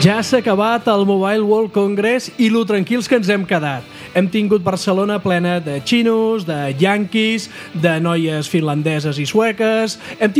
Ja s'ha acabat el Mobile World Congress i lo tranquils que ens hem quedat. Hem tingut Barcelona plena de xinos, de yanquis, de noies finlandeses i sueques. No hem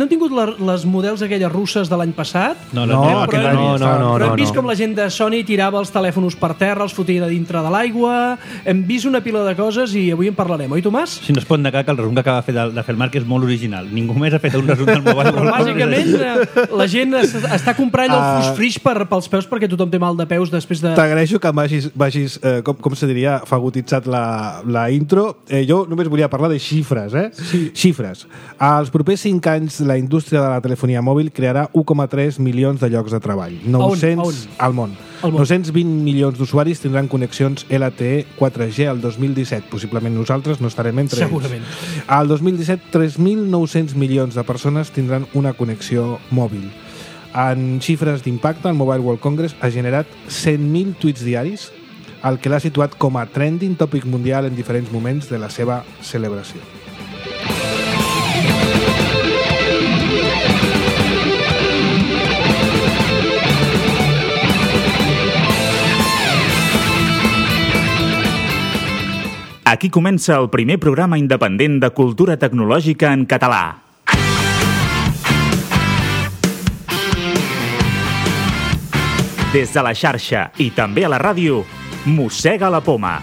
tingut les models aquelles russes de l'any passat? No. Però hem vist com la gent de Sony tirava els telèfons per terra, els fotia dintre de l'aigua. Hem vist una pila de coses i avui en parlarem, oi, Tomàs? Si no es pot negar que el resum que acaba de fer el Marc és molt original. Ningú més ha fet un resum del Mobile World Congress. Bàsicament, la gent està comprant el fus-frix pels peus perquè tothom té mal de peus després de... T'agraeixo que vagis com se diria, fagutitzat la intro. Jo només volia parlar de xifres, Sí. Xifres. Als propers 5 anys la indústria de la telefonia mòbil crearà 1,3 milions de llocs de treball. 900 al món. 920 milions d'usuaris tindran connexions LTE 4G al 2017. Possiblement nosaltres no estarem entre Segurament. ells. Al 2017, 3.900 milions de persones tindran una connexió mòbil. En xifres d'impacte, el Mobile World Congress ha generat 100.000 tuits diaris, el que l'ha situat com a trending tòpic mundial en diferents moments de la seva celebració. Aquí comença el primer programa independent de cultura tecnològica en català. Des de la xarxa i també a la ràdio, Mossega la Poma.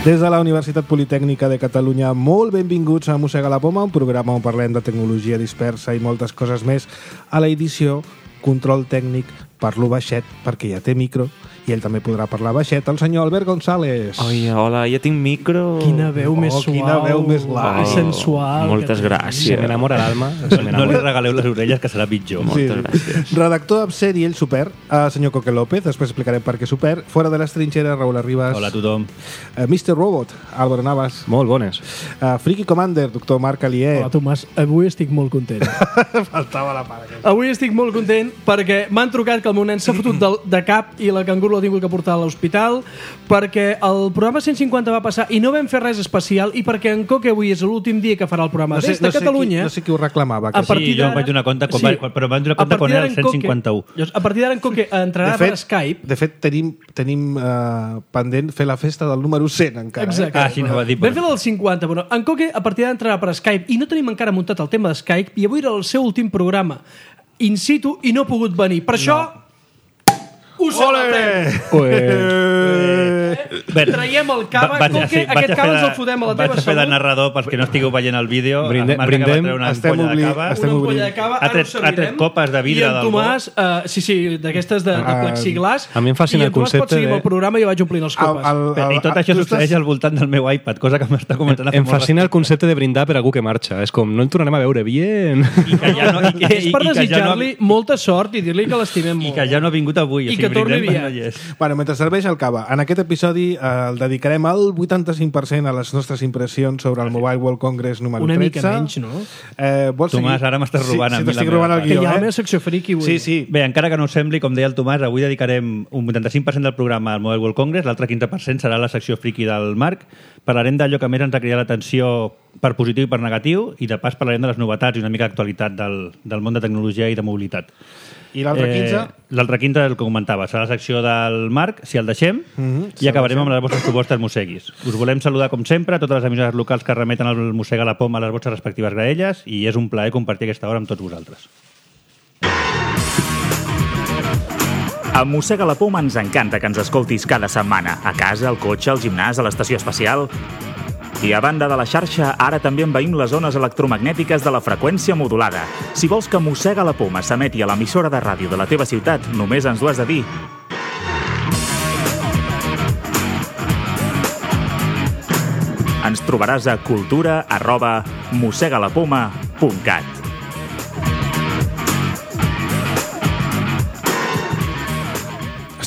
Des de la Universitat Politècnica de Catalunya, molt benvinguts a Mossega la Poma, un programa on parlem de tecnologia dispersa i moltes coses més. A la edició, control tècnic, parlo baixet perquè ja té micro i ell també podrà parlar baixet, el senyor Albert González. Oi, hola, ja tinc micro. Quina veu més suau. Quina veu més i sensual. Moltes gràcies. Se m'enamora l'alma. No li regaleu les orelles, que serà pitjor. Moltes gràcies. Redactor absent i ell super, senyor Coque López, després explicarem per què super. Fora de les trinxeres, Raúl Arribas. Hola a tothom. Mr. Robot, Álvaro Navas. Molt bones. Friki Commander, doctor Marc Alier. Hola, Tomàs. Avui estic molt content. Faltava la part. Avui estic molt content perquè m'han trucat que el meu nen s'ha fotut de cap i la canguro l'ha tingut que portar a l'hospital, perquè el programa 150 va passar i no vam fer res especial i perquè en Coque avui és l'últim dia que farà el programa des de Catalunya. No sé qui ho reclamava. Sí, jo em vaig donar compte, però em vaig donar compte quan era el 151. A partir d'ara en Coque entrarà per Skype. De fet, tenim pendent fer la festa del número 100 encara. Exacte. Sí, no va dir. Vam fer la del 50, però en Coque a partir d'ara entrarà per Skype i no tenim encara muntat el tema de Skype i avui era el seu últim programa in situ i no ha pogut venir. Per això... Ho celebrem! Traiem el cava, Coque, aquest cava ens el fotem a la teva salut. Vaig a fer de narrador pels que no estigueu veient el vídeo. Brindem, estem obrint. Una ampolla de cava, ha tret copes de vidre del bo. I en Tomàs, sí, d'aquestes de plexiglas. A mi em fascina el concepte. I en Tomàs pot seguir amb el programa i jo vaig omplint les copes. I tot això succeeix al voltant del meu iPad, cosa que m'està comentant a fer molt. Em fascina el concepte de brindar per algú que marxa. És com, no el tornarem a veure bien. És per desitjar-li molta sort i dir-li que l'estimem molt. I que ja no ha vingut avui. I que torni aviat. Bueno, mentre serveix el cava, en aquest episodi el dedicarem al 85% a les nostres impressions sobre el Mobile World Congress número 13. Una mica menys, no? Tomàs, ara m'estàs robant a mi t'estic robant el guió. Que hi ha la meva secció friki avui. Sí. Bé, encara que no us sembli, com deia el Tomàs, avui dedicarem un 85% del programa al Mobile World Congress, l'altre 15% serà la secció friki del Marc. Parlarem d'allò que més ens ha cridat l'atenció per positiu i per negatiu, i de pas parlarem de les novetats i una mica d'actualitat del món de tecnologia i de mobilitat. I l'altre 15? L'altre 15, el que comentava, serà la secció del Marc, si el deixem, i acabarem amb les vostres propostes mosseguis. Us volem saludar, com sempre, a totes les emissores locals que remeten el Mossega la Poma a les vostres respectives graelles, i és un plaer compartir aquesta hora amb tots vosaltres. A Mossega la Poma ens encanta que ens escoltis cada setmana, a casa, al cotxe, al gimnàs, a l'estació espacial. I a banda de la xarxa, ara també envaïm les zones electromagnètiques de la freqüència modulada. Si vols que Mossega la Poma s'emeti a l'emissora de ràdio de la teva ciutat, només ens ho has de dir. Ens trobaràs a cultura@mossegalapoma.cat.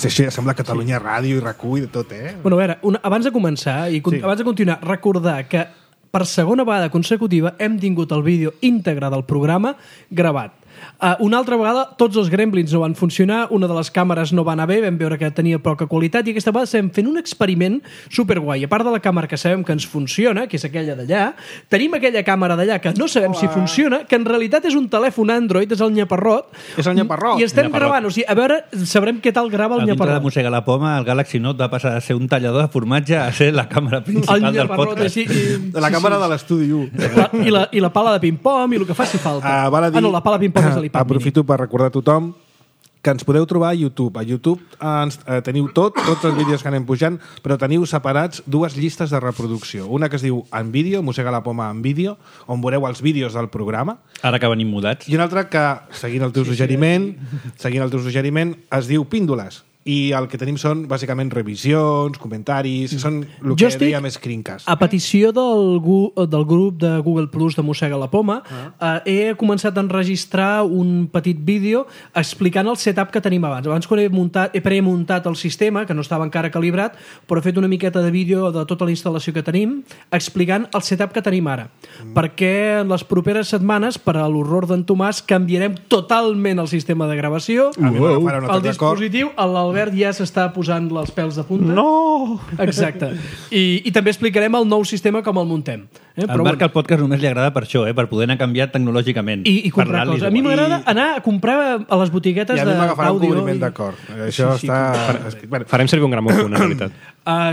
Això ja sembla Catalunya Ràdio i RAC1 i de tot, Bueno, a veure, abans de començar i abans de continuar, recordar que per segona vegada consecutiva hem tingut el vídeo íntegre del programa gravat. Una altra vegada, tots els gremlins no van funcionar, una de les càmeres no va anar bé, vam veure que tenia poca qualitat, i aquesta vegada estem fent un experiment superguai. A part de la càmera que sabem que ens funciona, que és aquella d'allà, tenim aquella càmera d'allà que no sabem si funciona, que en realitat és un telèfon Android, és el Nyaparrot. És el Nyaparrot. I estem gravant, o sigui, a veure, sabrem què tal grava el A dintre de Nyaparrot. Mossega la Poma, el Galaxy Note va passar a ser un tallador de formatge a ser la càmera principal El del Nyaparrot, podcast. La càmera de l'estudi 1. I la pala de ping-pong i el que faci falta. Val a dir, no, la pala de ping-pong és de l'iPad mini. aprofito per recordar a tothom que ens podeu trobar a YouTube. A YouTube teniu tots els vídeos que anem pujant, però teniu separats dues llistes de reproducció. Una que es diu En Vídeo, Mossega la Poma en Vídeo, on veureu els vídeos del programa, Ara que venim mudats. i una altra que, seguint el teu suggeriment, es diu Píndoles. I el que tenim són, bàsicament, revisions, comentaris, són el que dèiem screencast. A petició del grup de Google Plus de Mossega la Poma, he començat a enregistrar un petit vídeo explicant el setup que tenim abans. Abans, quan he premuntat el sistema, que no estava encara calibrat, però he fet una miqueta de vídeo de tota la instal·lació que tenim, explicant el setup que tenim ara. Perquè en les properes setmanes, per a l'horror d'en Tomàs, canviarem totalment el sistema de gravació. A mi m'agafarà un altre El d'acord. dispositiu, l'Albert ja s'està posant els pèls de punta. No! Exacte. I també explicarem el nou sistema com el muntem. Al Marc al podcast només li agrada per això, per poder anar canviat tecnològicament. I comprar coses. A mi m'agrada anar a comprar a les botiguetes I a mi m'agafarà un d'àudio. cobriment d'acord. Això està... Bueno, Farem servir un gramòfon, en realitat.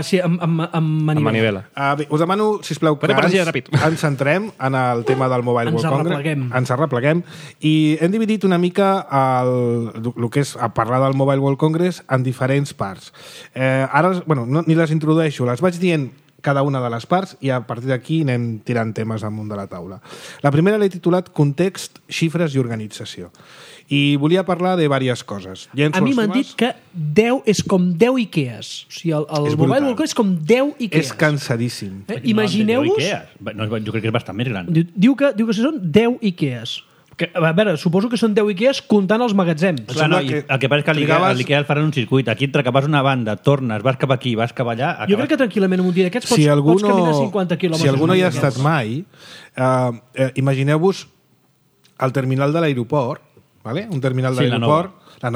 Sí, amb Amb manivela. manivela. bé, us demano, sisplau, que Podem per allà, ràpid. ens centrem en el tema del Mobile Ens World Congress. arrepleguem. Ens arrepleguem. I hem dividit una mica el que és a parlar del Mobile World Congress en diferents parts. Ara, bueno, ni les introdueixo, les vaig dient cada una de les parts i a partir d'aquí anem tirant temes damunt de la taula. La primera l'he titulat Context, xifres i organització. I volia parlar de diverses coses. A mi m'han dit que 10 és com 10 Ikeas. O sigui, el És Mobile brutal. World Congress és com 10 Ikeas. És cansadíssim. Imagineu-vos... No, jo crec que és bastant més gran. Diu que són 10 Ikeas. Que, a veure, suposo que són 10 Ikeas comptant els magatzems. Clar, no, sembla el que passa és que l'Ikea el faran un circuit. Aquí entre que vas a una banda, tornes, vas cap aquí, vas cap allà... Jo crec que tranquil·lament en un dia d'aquests pots caminar 50 quilòmetres. Si algú no hi ha d'aquests. estat mai, imagineu-vos el terminal de l'aeroport, ¿vale? Un terminal de Sí, l'aeroport, la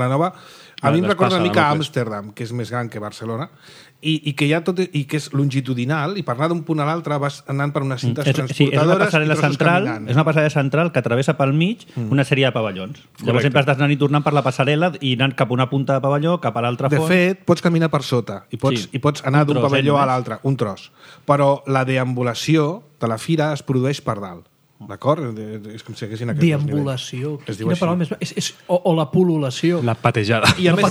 nova. A mi em recorda una mica no, Amsterdam, que és més gran que Barcelona, i que hi ha tot, i que és longitudinal, i per anar d'un punt a l'altre vas anant per unes cintes Sí, és una transportadores passarel·la i trossos central, caminant. és una passarel·la central que travessa pel mig una sèrie de pavellons. Llavors sempre estàs anant i tornant per la passarel·la i anant cap a una punta de pavelló, cap a l'altra De fons. fet, pots caminar per sota i pots, Sí. i pots anar Un d'un tros, pavelló a només. l'altre, un tros. Però la deambulació de la fira es produeix per dalt. D'acord? És com si haguessin aquests dos Deambulació. nivells. Es diu Quina així. paraula més... O la pol·lulació. La patejada. I a més,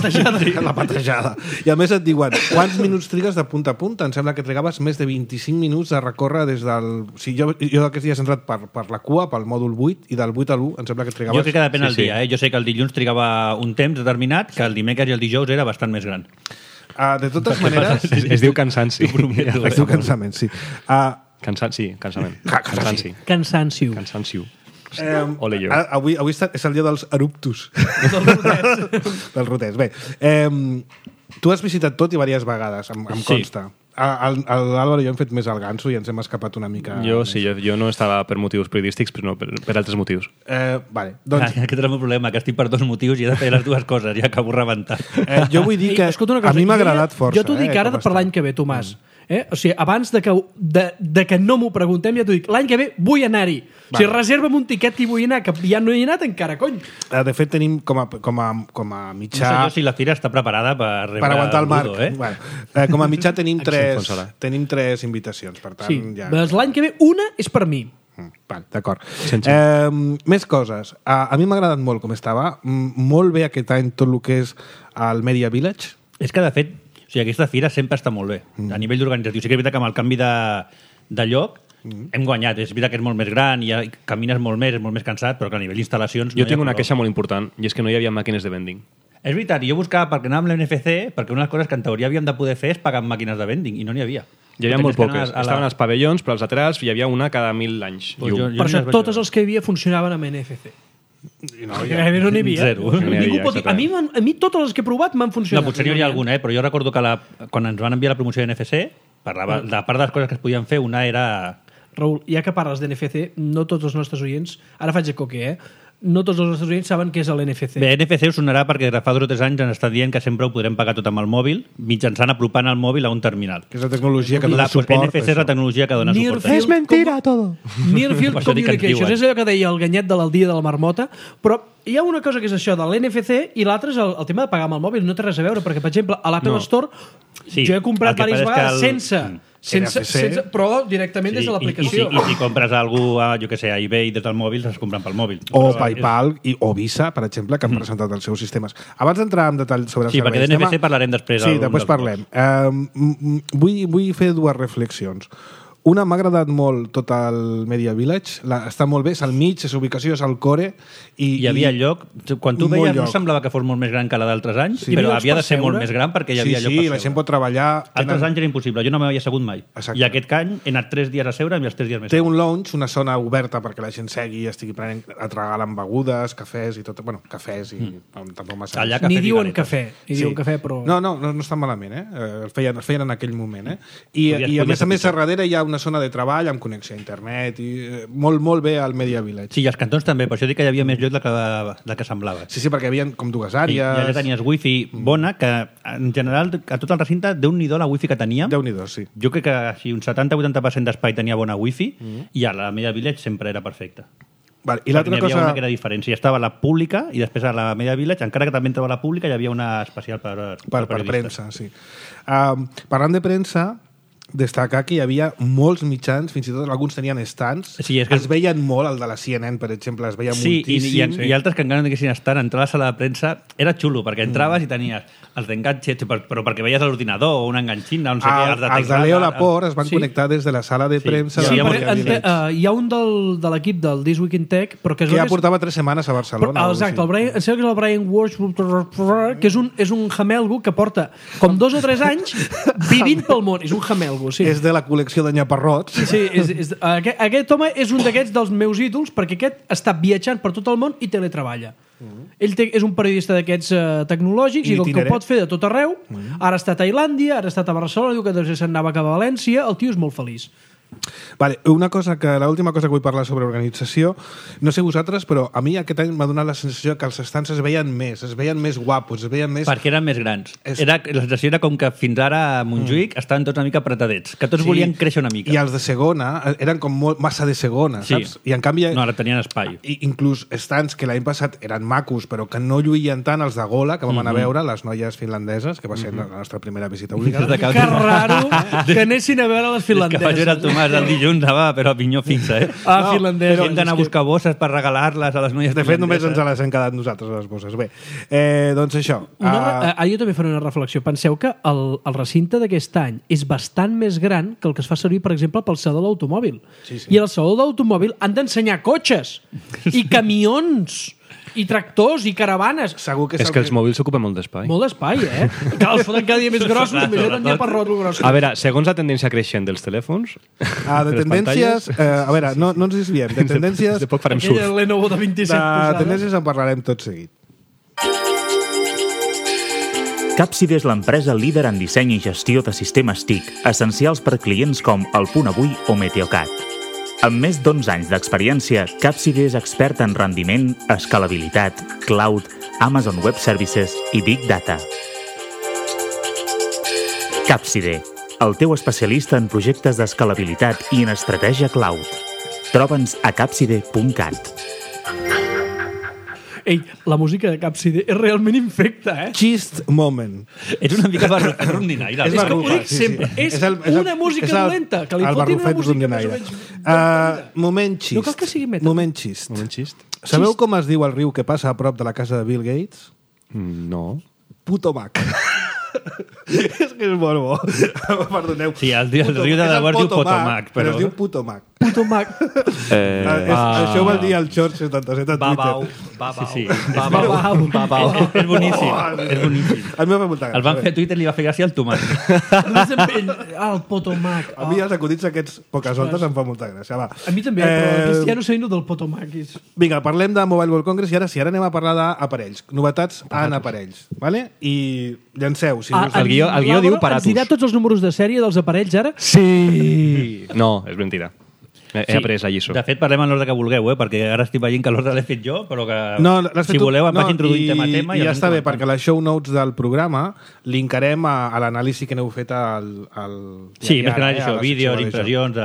la patejada. I a més et diuen, quants minuts trigues de punta a punta? Em sembla que trigaves més de 25 minuts de recórrer des del... O sigui, jo aquests dies he entrat per la cua, pel mòdul 8, i del 8 a l'1 em sembla que trigaves... Jo crec que depèn del Sí, sí. dia. Jo sé que el dilluns trigava un temps determinat, que el dimecres i el dijous era bastant més gran. De totes maneres... Es diu cansanci. Es diu cansament, sí. Cansament. Cansanci. Cansancio. Cansancio. Ole jo. Avui és el dia dels eruptus. Del roters. Bé, tu has visitat tot i diverses vegades, em Sí. consta. L'Àlvaro i jo hem fet més el ganso i ens hem escapat una mica... Jo més. sí, jo no estava per motius periodístics, però no, per altres motius. Vale, doncs Aquest és el meu problema, que estic per dos motius i he de fer les dues coses i acabo rebentat. jo vull dir que Escolta una cosa, a mi m'ha jo agradat força. Jo t'ho dic ara com per està. l'any que ve, Tomàs. O sigui, abans de que no m'ho preguntem, ja t'ho dic, l'any que ve vull anar-hi. O sigui, reserva'm un tiquet que hi vull anar, que ja no hi he anat encara, cony. De fet, tenim com a No sé mitjà... jo si la fira està preparada per rebre Per aguantar el Marc. Ludo, Bueno, com a mitjà tenim s'enfonsa. tres invitacions, per tant, Sí, ja... doncs l'any que ve una és per mi. Vale, d'acord. Més coses. A mi m'ha agradat molt com estava. Molt bé aquest any tot el que és el Media Village. És que, de fet, o sigui, aquesta fira sempre està molt bé, a nivell d'organitzatiu. Sí que és veritat que amb el canvi de lloc hem guanyat. És veritat que és molt més gran, i camines molt més, és molt més cansat, però que a nivell d'instal·lacions... Jo tinc una queixa molt important, i és que no hi havia màquines de vending. És veritat, i jo buscava perquè anàvem a l'NFC, perquè una de les coses que en teoria havíem de poder fer és pagar amb màquines de vending, i no n'hi havia. Hi havia molt poques. Estaven als pavellons, però als laterals hi havia una cada 1.000 anys. Pues jo Per no això les vaig totes veure. els que hi havia funcionaven amb NFC. No, Gairebé no n'hi havia. Zero. No n'hi havia, Ningú pot dir. A mi totes les que he provat m'han No, funcionat. potser n'hi hauria alguna, però jo recordo que quan ens van enviar la promoció de NFC, parlava, de part de les coses que es podien fer, una era... Raül, ja que parles d'NFC, no tots els nostres oients, ara faig de coque, no tots els Estats Units saben què és l'NFC. Bé, NFC us sonarà perquè fa 2 o 3 anys ens estan dient que sempre ho podrem pagar tot amb el mòbil, mitjançant apropant el mòbil a un terminal. Que és la tecnologia que dona Pues suport. NFC és la tecnologia que dona suport. Near És mentira, todo. Near Field Per això dic que ens Communications. diuen. És allò que deia el ganyet de l'Aldia de la Marmota, però hi ha una cosa que és això de l'NFC i l'altra és el tema de pagar amb el mòbil. No té res a veure, perquè, per exemple, a l'Apple Store Sí, jo he comprat el que diverses passa és que vegades sense, NFC. però directament des de l'aplicació. I si compres algú a, jo que sé, a eBay des del mòbil, s'es compren pel mòbil. O Però PayPal o Visa, per exemple, que han presentat els seus sistemes. Abans d'entrar en detall sobre els Sí, perquè serveis... d'NFC parlarem després. Sí, algun després dels parlem. Vull fer 2 reflexions. Una, m'ha agradat molt tot el Media Village, està molt bé, és al mig, és ubicació, és al core. Hi havia lloc, quan tu molt veies no lloc. semblava que fos molt més gran que la d'altres anys, Sí. però Hi havia havia de llocs ser per molt seure? més gran perquè hi havia Sí, lloc sí, per la seure. gent pot treballar... Altres anys era impossible, jo no m'havia assegut mai. Exacte. I aquest any he anat 3 dies a seure i els 3 dies més. Té un lounge, una zona oberta perquè la gent segui i estigui prenent, regalant begudes, cafès i tot. Bueno, cafès i tampoc massa. Allà Ni cafès i diuen galetes. cafè, però... No està malament, el feien en aquell moment, I a Podria ser més a pitjor. darrere hi ha una zona de treball amb connexió a internet i molt bé al Media Village. Sí, i els cantons també, per això dic que hi havia més lloc del que semblava. Sí, perquè hi havia com 2 Sí, àrees. i allà tenies wifi bona, que en general a tot el recinte, Déu-n'hi-do la wifi que teníem. Déu-n'hi-do, sí. Jo crec que així un 70-80% d'espai tenia bona wifi i a la Media Village sempre era perfecta. Vale, I Perquè l'altra n'hi havia cosa... una que era diferent. Si estava a la pública i després a la Media Village, encara que també entrava a la pública, hi havia una especial per periodistes. premsa, sí. Parlant de premsa, destacar que hi havia molts mitjans, fins i tot alguns tenien stands. Sí, és que- es veien molt, el de la CNN, per exemple, es veia Sí, moltíssim. i altres que encara no diguessin estar, entrar a la sala de premsa era xulo, perquè entraves i tenies els d'enganxets, però perquè veies l'ordinador o una enganxina, no sé què, els de Els de teclat, Leo Laporte es van Sí. connectar des de la sala de Sí. premsa Sí, del Sí, Llavors, Media Village. hi ha un de l'equip del This Week in Tech, però que es que veu ja que és- portava 3 setmanes a Barcelona. Però, o exacte, així. em sembla que és el Brian Walsh, que és un jamelgo que porta com 2 o 3 anys vivint pel món. És un jamelgo, sí. És de la col·lecció de Nyaparrots. Sí, aquest home és un d'aquests dels meus ídols perquè aquest està viatjant per tot el món i teletreballa. Ell és un periodista d'aquests tecnològics i com que ho Itinerant. pot fer de tot arreu, ara està a Tailàndia, ara ha estat a Barcelona, diu que després se'n anava cap a València, el tio és molt feliç. Vale, l'última cosa que vull parlar sobre organització, no sé vosaltres, però a mi aquest any m'ha donat la sensació que els estants es veien més guapos, es veien més... Perquè eren més grans. És- La sensació era com que fins ara a Montjuïc estaven tots una mica apretadets, que tots volien créixer una mica. I els de segona eren com massa de segona, Sí. saps? I en canvi... No, ara tenien espai. Inclús estants que l'any passat eren macos, però que no lluïen tant els de Gola, que vam anar a veure, les noies finlandeses, que va ser la nostra primera visita obligada. Des de Que raro que anessin a veure les Que vaig veure el finlandeses. Tomàs el dilluns, anava però a pinyó fixa, Ah, finlandeses. Hem d'anar a buscar bosses per regalar-les a les noies De fet, només ens finlandeses. les hem quedat nosaltres, les bosses. Bé, doncs això. Jo també faré una reflexió. Penseu que el recinte d'aquest any és bastant més gran que el que es fa servir, per exemple, pel saló de l'automòbil. Sí. I al saló de l'automòbil han d'ensenyar cotxes i camions i tractors i caravanes. Segur que És que els mòbils ocupen molt d'espai. Molt d'espai, Que els foten cada dia més grossos, imagina't ja per roto gros. A veure, segons la tendència creixent dels telèfons... De les tendències... pantalles, a veure, no ens desviem. De tendències... de poc farem Aquella surf. Lenovo de 27 De tendències en parlarem tot seguit. Capside és l'empresa líder en disseny i gestió de sistemes TIC, essencials per clients com El Punt Avui o Meteocat. Amb més d'11 anys d'experiència, Capside és expert en rendiment, escalabilitat, cloud, Amazon Web Services i Big Data. Capside, el teu especialista en projectes d'escalabilitat i en estratègia cloud. Troba'ns a capside.cat. Ei, la música de Capside és realment infecta, Gist moment. Ets una mica rondinaire. És que ho dic sempre. És una música dolenta, que li el fotin una barrufet música rondinaire. més o menys Moment xist. No cal que sigui metal. Moment xist. Moment xist? Sabeu com es diu el riu que passa a prop de la casa de Bill Gates? No. Putomac. És que és molt bo. Perdoneu. Sí, el riu de És el Delaware diu Potomac, però... es diu Putomac. Puto Mac. Això ho va dir el George 77 a Babau. Twitter. Sí, sí. Babau. Babau. És boníssim. És boníssim. A mi m'ha fet molta gràcia. El van fer a Twitter i li va fer gràcia al Tomàs. El Potomac. A mi els acudits aquests poques voltes em fa molta gràcia. Va. A mi també, però Cristiano Seino del Potomac. Vinga, parlem de Mobile World Congress i ara sí, ara anem a parlar d'aparells. Novetats en aparells. Vale? I llanceu. Si us... El guió diu Ens Paratus. dirà tots els números de sèrie dels aparells ara? Sí! No, és mentira. He après la lliçó. De fet, parlem en l'ordre que vulgueu, perquè ara estic veient que l'ordre l'he fet jo, però que si voleu em vaig introduir tema a tema. I ja està bé, perquè les show notes del programa linkarem a l'anàlisi que n'heu fet al sí, més que anàlisi, vídeos, impressions...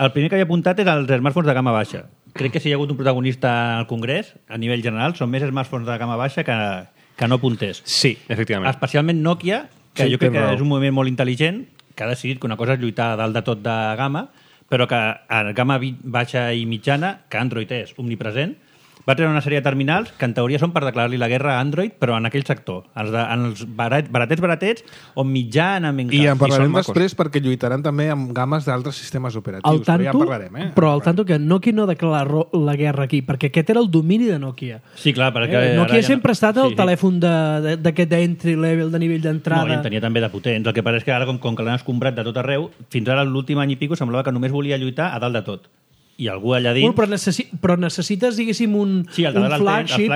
El primer que havia apuntat és els smartphones de gamma baixa. Crec que si hi ha hagut un protagonista al Congrés, a nivell general, són més smartphones de gamma baixa que no punters. Sí, efectivament. Especialment Nokia, que jo crec que és un moviment molt intel·ligent, que ha decidit que una cosa és lluitar dalt de tot de gamma, però que a gamma baixa i mitjana, que Android és omnipresent, va treure una sèrie de terminals que en teoria són per declarar-li la guerra a Android, però en aquell sector, en els baratets, on mitjana... I en parlarem després perquè lluitaran també amb games d'altres sistemes operatius. Tanto, però ja en parlarem. Però al tanto que Nokia no declara la guerra aquí, perquè aquest era el domini de Nokia. Sí, clar, perquè... Nokia sempre ha estat el telèfon d'aquest entry level, de nivell d'entrada. No, i en tenia també de potents. El que passa és que ara, com que l'han escombrat de tot arreu, fins ara l'últim any i pico semblava que només volia lluitar a dalt de tot. I algú allà dins... Però necessites, diguéssim, un flagship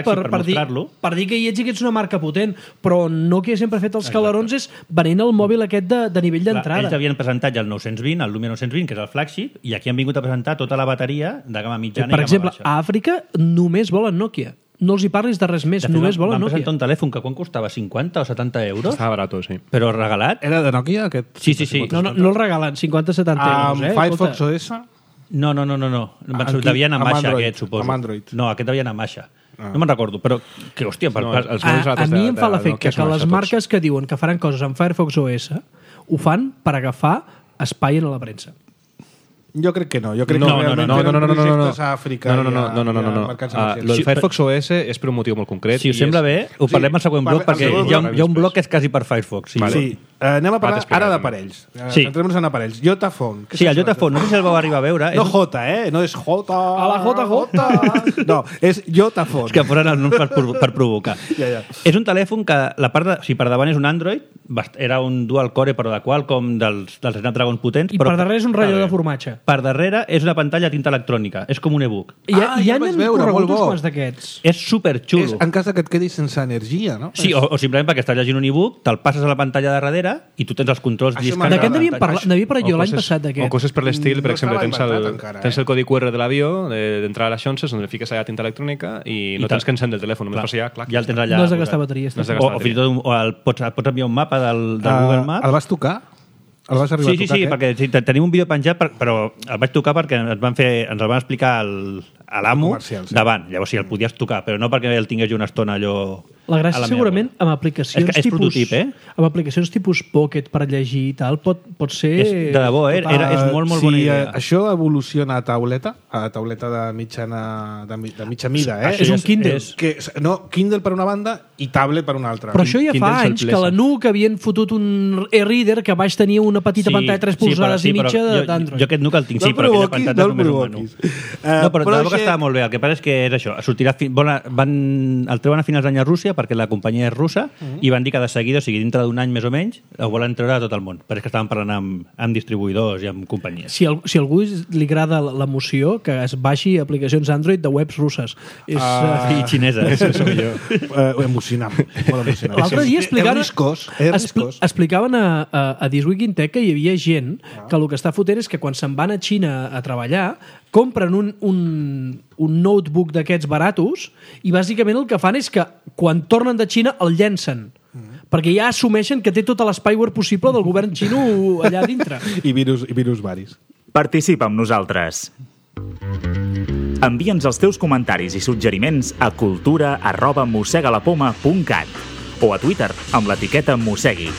per dir que hi ets una marca potent, però Nokia sempre ha fet els calarons és venent el mòbil aquest de nivell d'entrada. Ells havien presentat ja el 920, el Lumia 920, que és el flagship, i aquí han vingut a presentar tota la bateria de gamma mitjana i gamma baixa. Per exemple, a Àfrica només volen Nokia. No els hi parlis de res més, només volen Nokia. Van presentar un telèfon que quan costava 50 o 70 euros. Estava barat, sí. Però regalat. Era de Nokia, aquest? Sí. No el regalen, 50-70 euros. Firefox OS? No. Devia anar a Masha, aquest, suposo. Amb Android. No, aquest devia anar a Masha. No me'n recordo, però que, hòstia... A mi em fa l'efecte que les marques que diuen que faran coses amb Firefox OS ho fan per agafar espai en la premsa. Jo crec que no. Jo crec que realment tenen projectes a Àfrica i a mercats emergents. El Firefox OS és per un motiu molt concret. Si us sembla bé, ho parlem al següent bloc, perquè hi ha un bloc que és quasi per Firefox. Sí. Anem a parlar ara d'aparells. Centrem-nos en aparells. Jotaphone. Sí, el Jotaphone. No sé si el vau arribar a veure. No J, no és J. A la JJ. No, és Jotaphone. És que posen els noms per provocar. És un telèfon que la part de... Si per davant és un Android, era un dual core, però de Qualcomm, dels Snapdragon potents. I per darrere és un relleu de formatge. Per darrere és una pantalla tinta electrònica. És com un e-book. Ja n'han corregut uns quants d'aquests. És superxulo. En cas que et quedis sense energia, no? Sí, o simplement perquè estàs llegint un e-book, te'l passes a la pantalla de darrere i tu tens els controls lliscant. D'aquest n'havia parlat jo l'any passat d'aquest. O coses per l'estil, per exemple, tens el codi QR de l'avió, d'entrar a les xonses, on fiques allà tinta electrònica i no tens que encendre el telèfon, només ja el tens allà. No has de gastar bateries. O fins i tot pots enviar un mapa del Google Maps. El vas tocar? El vas arribar a tocar? Sí, perquè tenim un vídeo penjat, però el vaig tocar perquè ens el van explicar a l'amo davant. Llavors sí, el podies tocar, però no perquè el tingués jo una estona allò... La gràcia segurament amb aplicacions és prototip, amb aplicacions tipus Pocket per llegir i tal, pot ser... De debò, és molt bona idea. Això evoluciona a tauleta de mitja mida, És un Kindle. No, Kindle per una banda i tablet per una altra. Però això ja fa anys que la NUC havien fotut un e-reader que baix tenia una petita pantalla de 3 polzades i mitja d'Android. Jo aquest NUC el tinc, sí, però aquella pantalla només un menú. No, però de debò que estava molt bé. El que passa és que és això, el treuen a finals d'any a Rússia perquè la companyia és russa i van dir que de seguida, o sigui, dintre d'un any més o menys, ho volen treure a tot el món. Però és que estaven parlant amb distribuïdors i amb companyies. Si a algú li agrada l'emoció, que es baixi aplicacions Android de webs russes. I xineses. Emocionant. L'altre dia explicaven a This Week in Tech que hi havia gent que el que està fotent és que quan se'n van a Xina a treballar compren un notebook d'aquests baratos i bàsicament el que fan és que quan tornen de Xina el llencen perquè ja assumeixen que té tot l'spyware possible del govern xino allà dintre. I virus varis. Participa amb nosaltres. Envia'ns els teus comentaris i suggeriments a cultura@mossegalapoma.cat o a Twitter amb l'etiqueta Mossegui.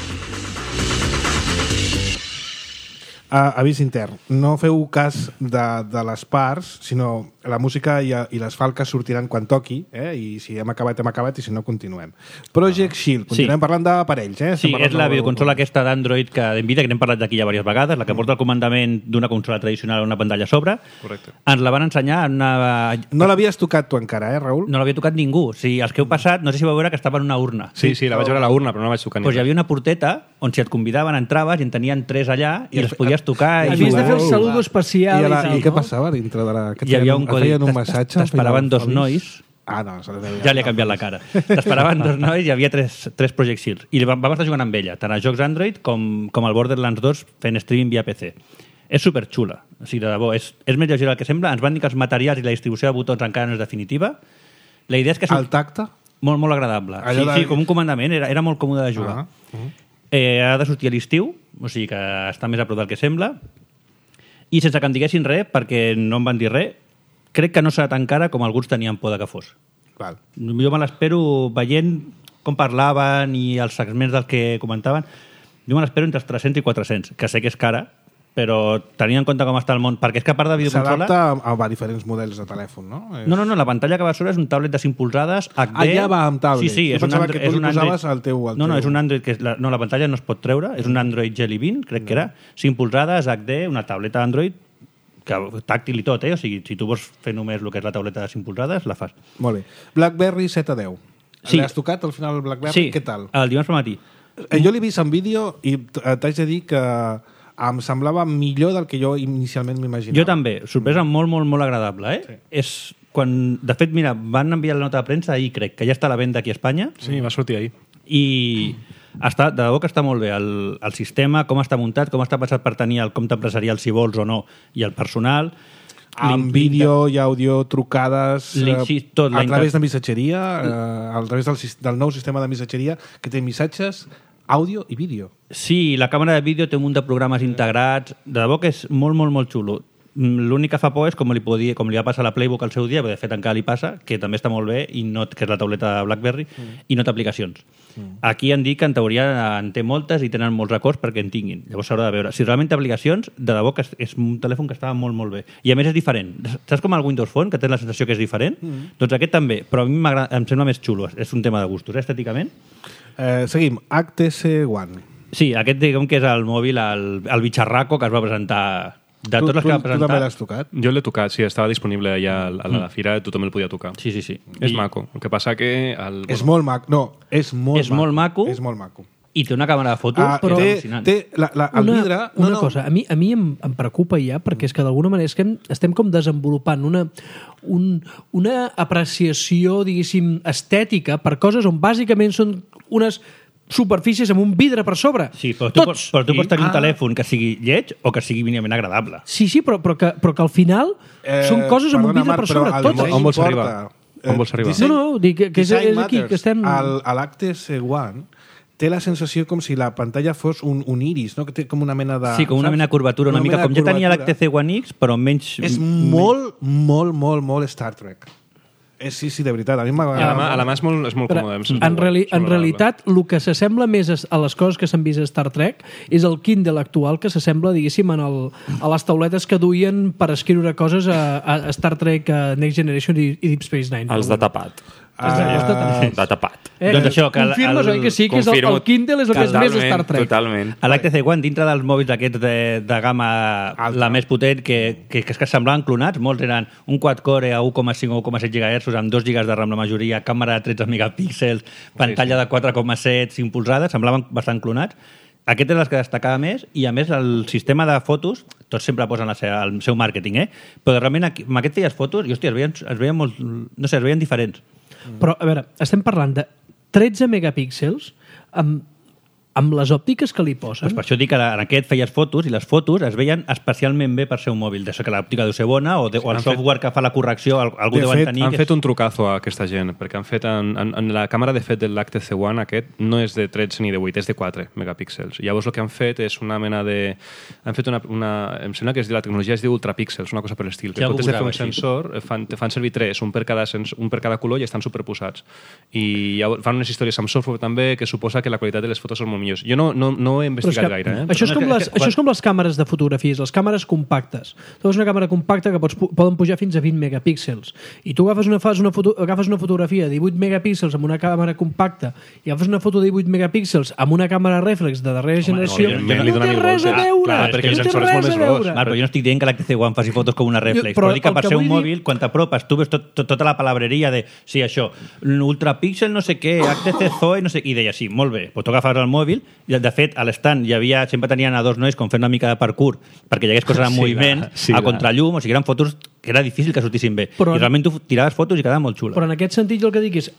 Avís intern. No feu cas de les parts, sinó la música i les falques sortiran quan toqui, i si hem acabat, i si no, continuem. Project Shield. Continuem parlant d'aparells, Sí, és la videoconsola aquesta d'Android que d'Nvidia, que n'hem parlat d'aquí ja diverses vegades, la que porta el comandament d'una consola tradicional a una pantalla a sobre. Correcte. Ens la van ensenyar en una... No l'havies tocat tu encara, Raül? No l'havia tocat ningú. O sigui, els que heu passat, no sé si vau veure que estava en una urna. Sí, la vaig veure a la urna, però no la vaig tocar ni res. Hi havia una porteta on si et convidaven entraves i en tenien 3 allà i les podies tocar. Havies de fer el saludo especial i tal. I què passava dintre de la... Hi havia un codi. Un massatge? T'esperaven 2 nois. No. Ja li ha canviat la cara. T'esperaven 2 nois i hi havia 3 Project Shield. I vam estar jugant amb ella, tant a jocs Android com al Borderlands 2 fent streaming via PC. És superxula. O sigui, de debò, és més lleugera del que sembla. Ens van dir que els materials i la distribució de botons encara no és definitiva. La idea és que... El tacte? Molt, molt agradable. Sí, com un comandament. Era molt còmode de jugar. Ha de sortir a l'estiu, o sigui que està més a prop del que sembla. I sense que em diguessin res, perquè no em van dir res, crec que no serà tan cara com alguns tenien por de que fos. Val. Jo me l'espero veient com parlaven i els segments del que comentaven. Jo me l'espero entre els 300 i 400, que sé que és cara, però tenint en compte com està el món, perquè és que a part de videoconsola... S'adapta a diferents models de telèfon, no? No, la pantalla que va sobre és un tablet de 5 polzades HD... ja va amb tablet. Sí, és un Android. Tu li posaves el teu... No, és un Android que... la pantalla no es pot treure, és un Android Jelly Bean, crec que era, 5 polzades, HD, una tableta Android, tàctil i tot, O sigui, si tu vols fer només el que és la tauleta de 5 polzades, la fas. Molt bé. BlackBerry 7 a 10. Sí. L'has tocat al final el BlackBerry? Sí, què tal? el dimarts pel matí. Jo l'he vist en vídeo i t'haig de dir que em semblava millor del que jo inicialment m'imaginava. Jo també. Sorpresa molt, molt, molt agradable, Sí. És quan... De fet, mira, van enviar la nota de premsa ahir, crec, que ja està a la venda aquí a Espanya. Sí, va sortir ahir. I de debò que està molt bé el sistema, com està muntat, com està pensat per tenir el compte empresarial, si vols o no, i el personal. Amb vídeo i àudio, trucades, tot, a través de missatgeria, a través del nou sistema de missatgeria que té missatges, àudio i vídeo. Sí, la càmera de vídeo té un munt de programes integrats. De debò que és molt, molt, molt xulo. L'únic que fa por és com li va passar a la Playbook al seu dia, perquè de fet encara li passa, que també està molt bé, que és la tauleta de BlackBerry, i no té aplicacions. Aquí han dit que en teoria en té moltes i tenen molts records perquè en tinguin. Llavors s'haurà de veure. Si realment té aplicacions, de debò que és un telèfon que estava molt, molt bé. I a més és diferent. Saps com el Windows Phone, que té la sensació que és diferent? Doncs aquest també, però a mi em sembla més xulo. És un tema de gustos, estèticament. Seguim. HTC One. Sí, aquest diguem que és el mòbil, el bitxarraco que es va presentar... De totes les que va presentar... Tu també l'has tocat? Jo l'he tocat, sí, estava disponible allà a la fira, tothom el podia tocar. Sí. És maco. El que passa que... És molt maco. No, és molt maco. És molt maco. I té una càmera de fotos, però al·lucinant. El vidre... Una cosa, a mi em preocupa ja, perquè és que d'alguna manera és que estem com desenvolupant una apreciació, diguéssim, estètica per coses on bàsicament són unes superfícies amb un vidre per sobre. Sí, però tu pots tenir un telèfon que sigui lleig o que sigui mínimament agradable. Sí, però que al final són coses amb un vidre per sobre. On vols arribar? No, dic que és aquí que estem... L'HTC One té la sensació com si la pantalla fos un iris, no? Que té com una mena de... Sí, com una mena de curvatura, una mica com ja tenia l'HTC One X, però menys... És molt Star Trek. Sí, de veritat. A mi m'agrada. A la mà és molt còmode. En realitat, el que s'assembla més a les coses que s'han vist a Star Trek és el Kindle actual, que s'assembla, diguéssim, a les tauletes que duien per escriure coses a Star Trek, Next Generation i Deep Space Nine. Els de tapat. De tapat. Doncs això, que confirmes, oi que sí? Que és el Kindle és el que és més Star Trek. Totalment. L'HTC One, dintre dels mòbils aquests de gamma la més potent, que semblaven clonats, molts eren un quad-core a 1,5 o 1,7 GHz amb 2 GB de RAM la majoria, càmera de 13 megapíxels, pantalla de 4,7, 5 polzades, semblaven bastant clonats. Aquest és el que destacava més, i a més el sistema de fotos, tots sempre posen el seu màrqueting, però realment amb aquest feies fotos i, hòstia, es veien molt... No sé, es veien diferents. Però, a veure, estem parlant de 13 megapíxels amb les òptiques que li posen. Pues per això dic que en aquest feies fotos i les fotos es veien especialment bé per ser un mòbil. D'això que l'òptica deu ser bona o el software que fa la correcció algú deuen tenir... Han fet un trucazo a aquesta gent, perquè han fet en la càmera de fet de l'HTC One aquest no és de 13 ni de 8, és de 4 megapíxels. Llavors el que han fet és una mena de... Han fet em sembla que la tecnologia es diu ultrapíxels, una cosa per l'estil. Que en comptes de fer un sensor, te fan servir 3, un per cada color i estan superposats. I fan unes històries amb software també que suposa que la qualitat de les fotos són molt millors. Jo no he investigat gaire. Això és com les càmeres de fotografies, les càmeres compactes. Tu has una càmera compacta que poden pujar fins a 20 megapíxels. I tu agafes una fotografia de 18 megapíxels amb una càmera compacta i agafes una foto de 18 megapíxels amb una càmera reflex de darrera generació. No té res a veure! Perquè el sensor és molt més gros. Però jo no estic dient que l'HTC One faci fotos com una reflex, però dic que per ser un mòbil, quan t'apropes, tu veus tota la palabreria de, sí, això, ultrapíxel no sé què, HTC Zoe, no sé què, i deia, sí, molt bé, però tu agafes el mòbil, i de fet a l'estand sempre tenien a dos nois com fent una mica de parkour perquè hi hagués coses en moviment, a contrallum, o sigui, eren fotos que era difícil que sortissin bé. I realment tu tiraves fotos i quedaven molt xules. Però en aquest sentit jo el que dic és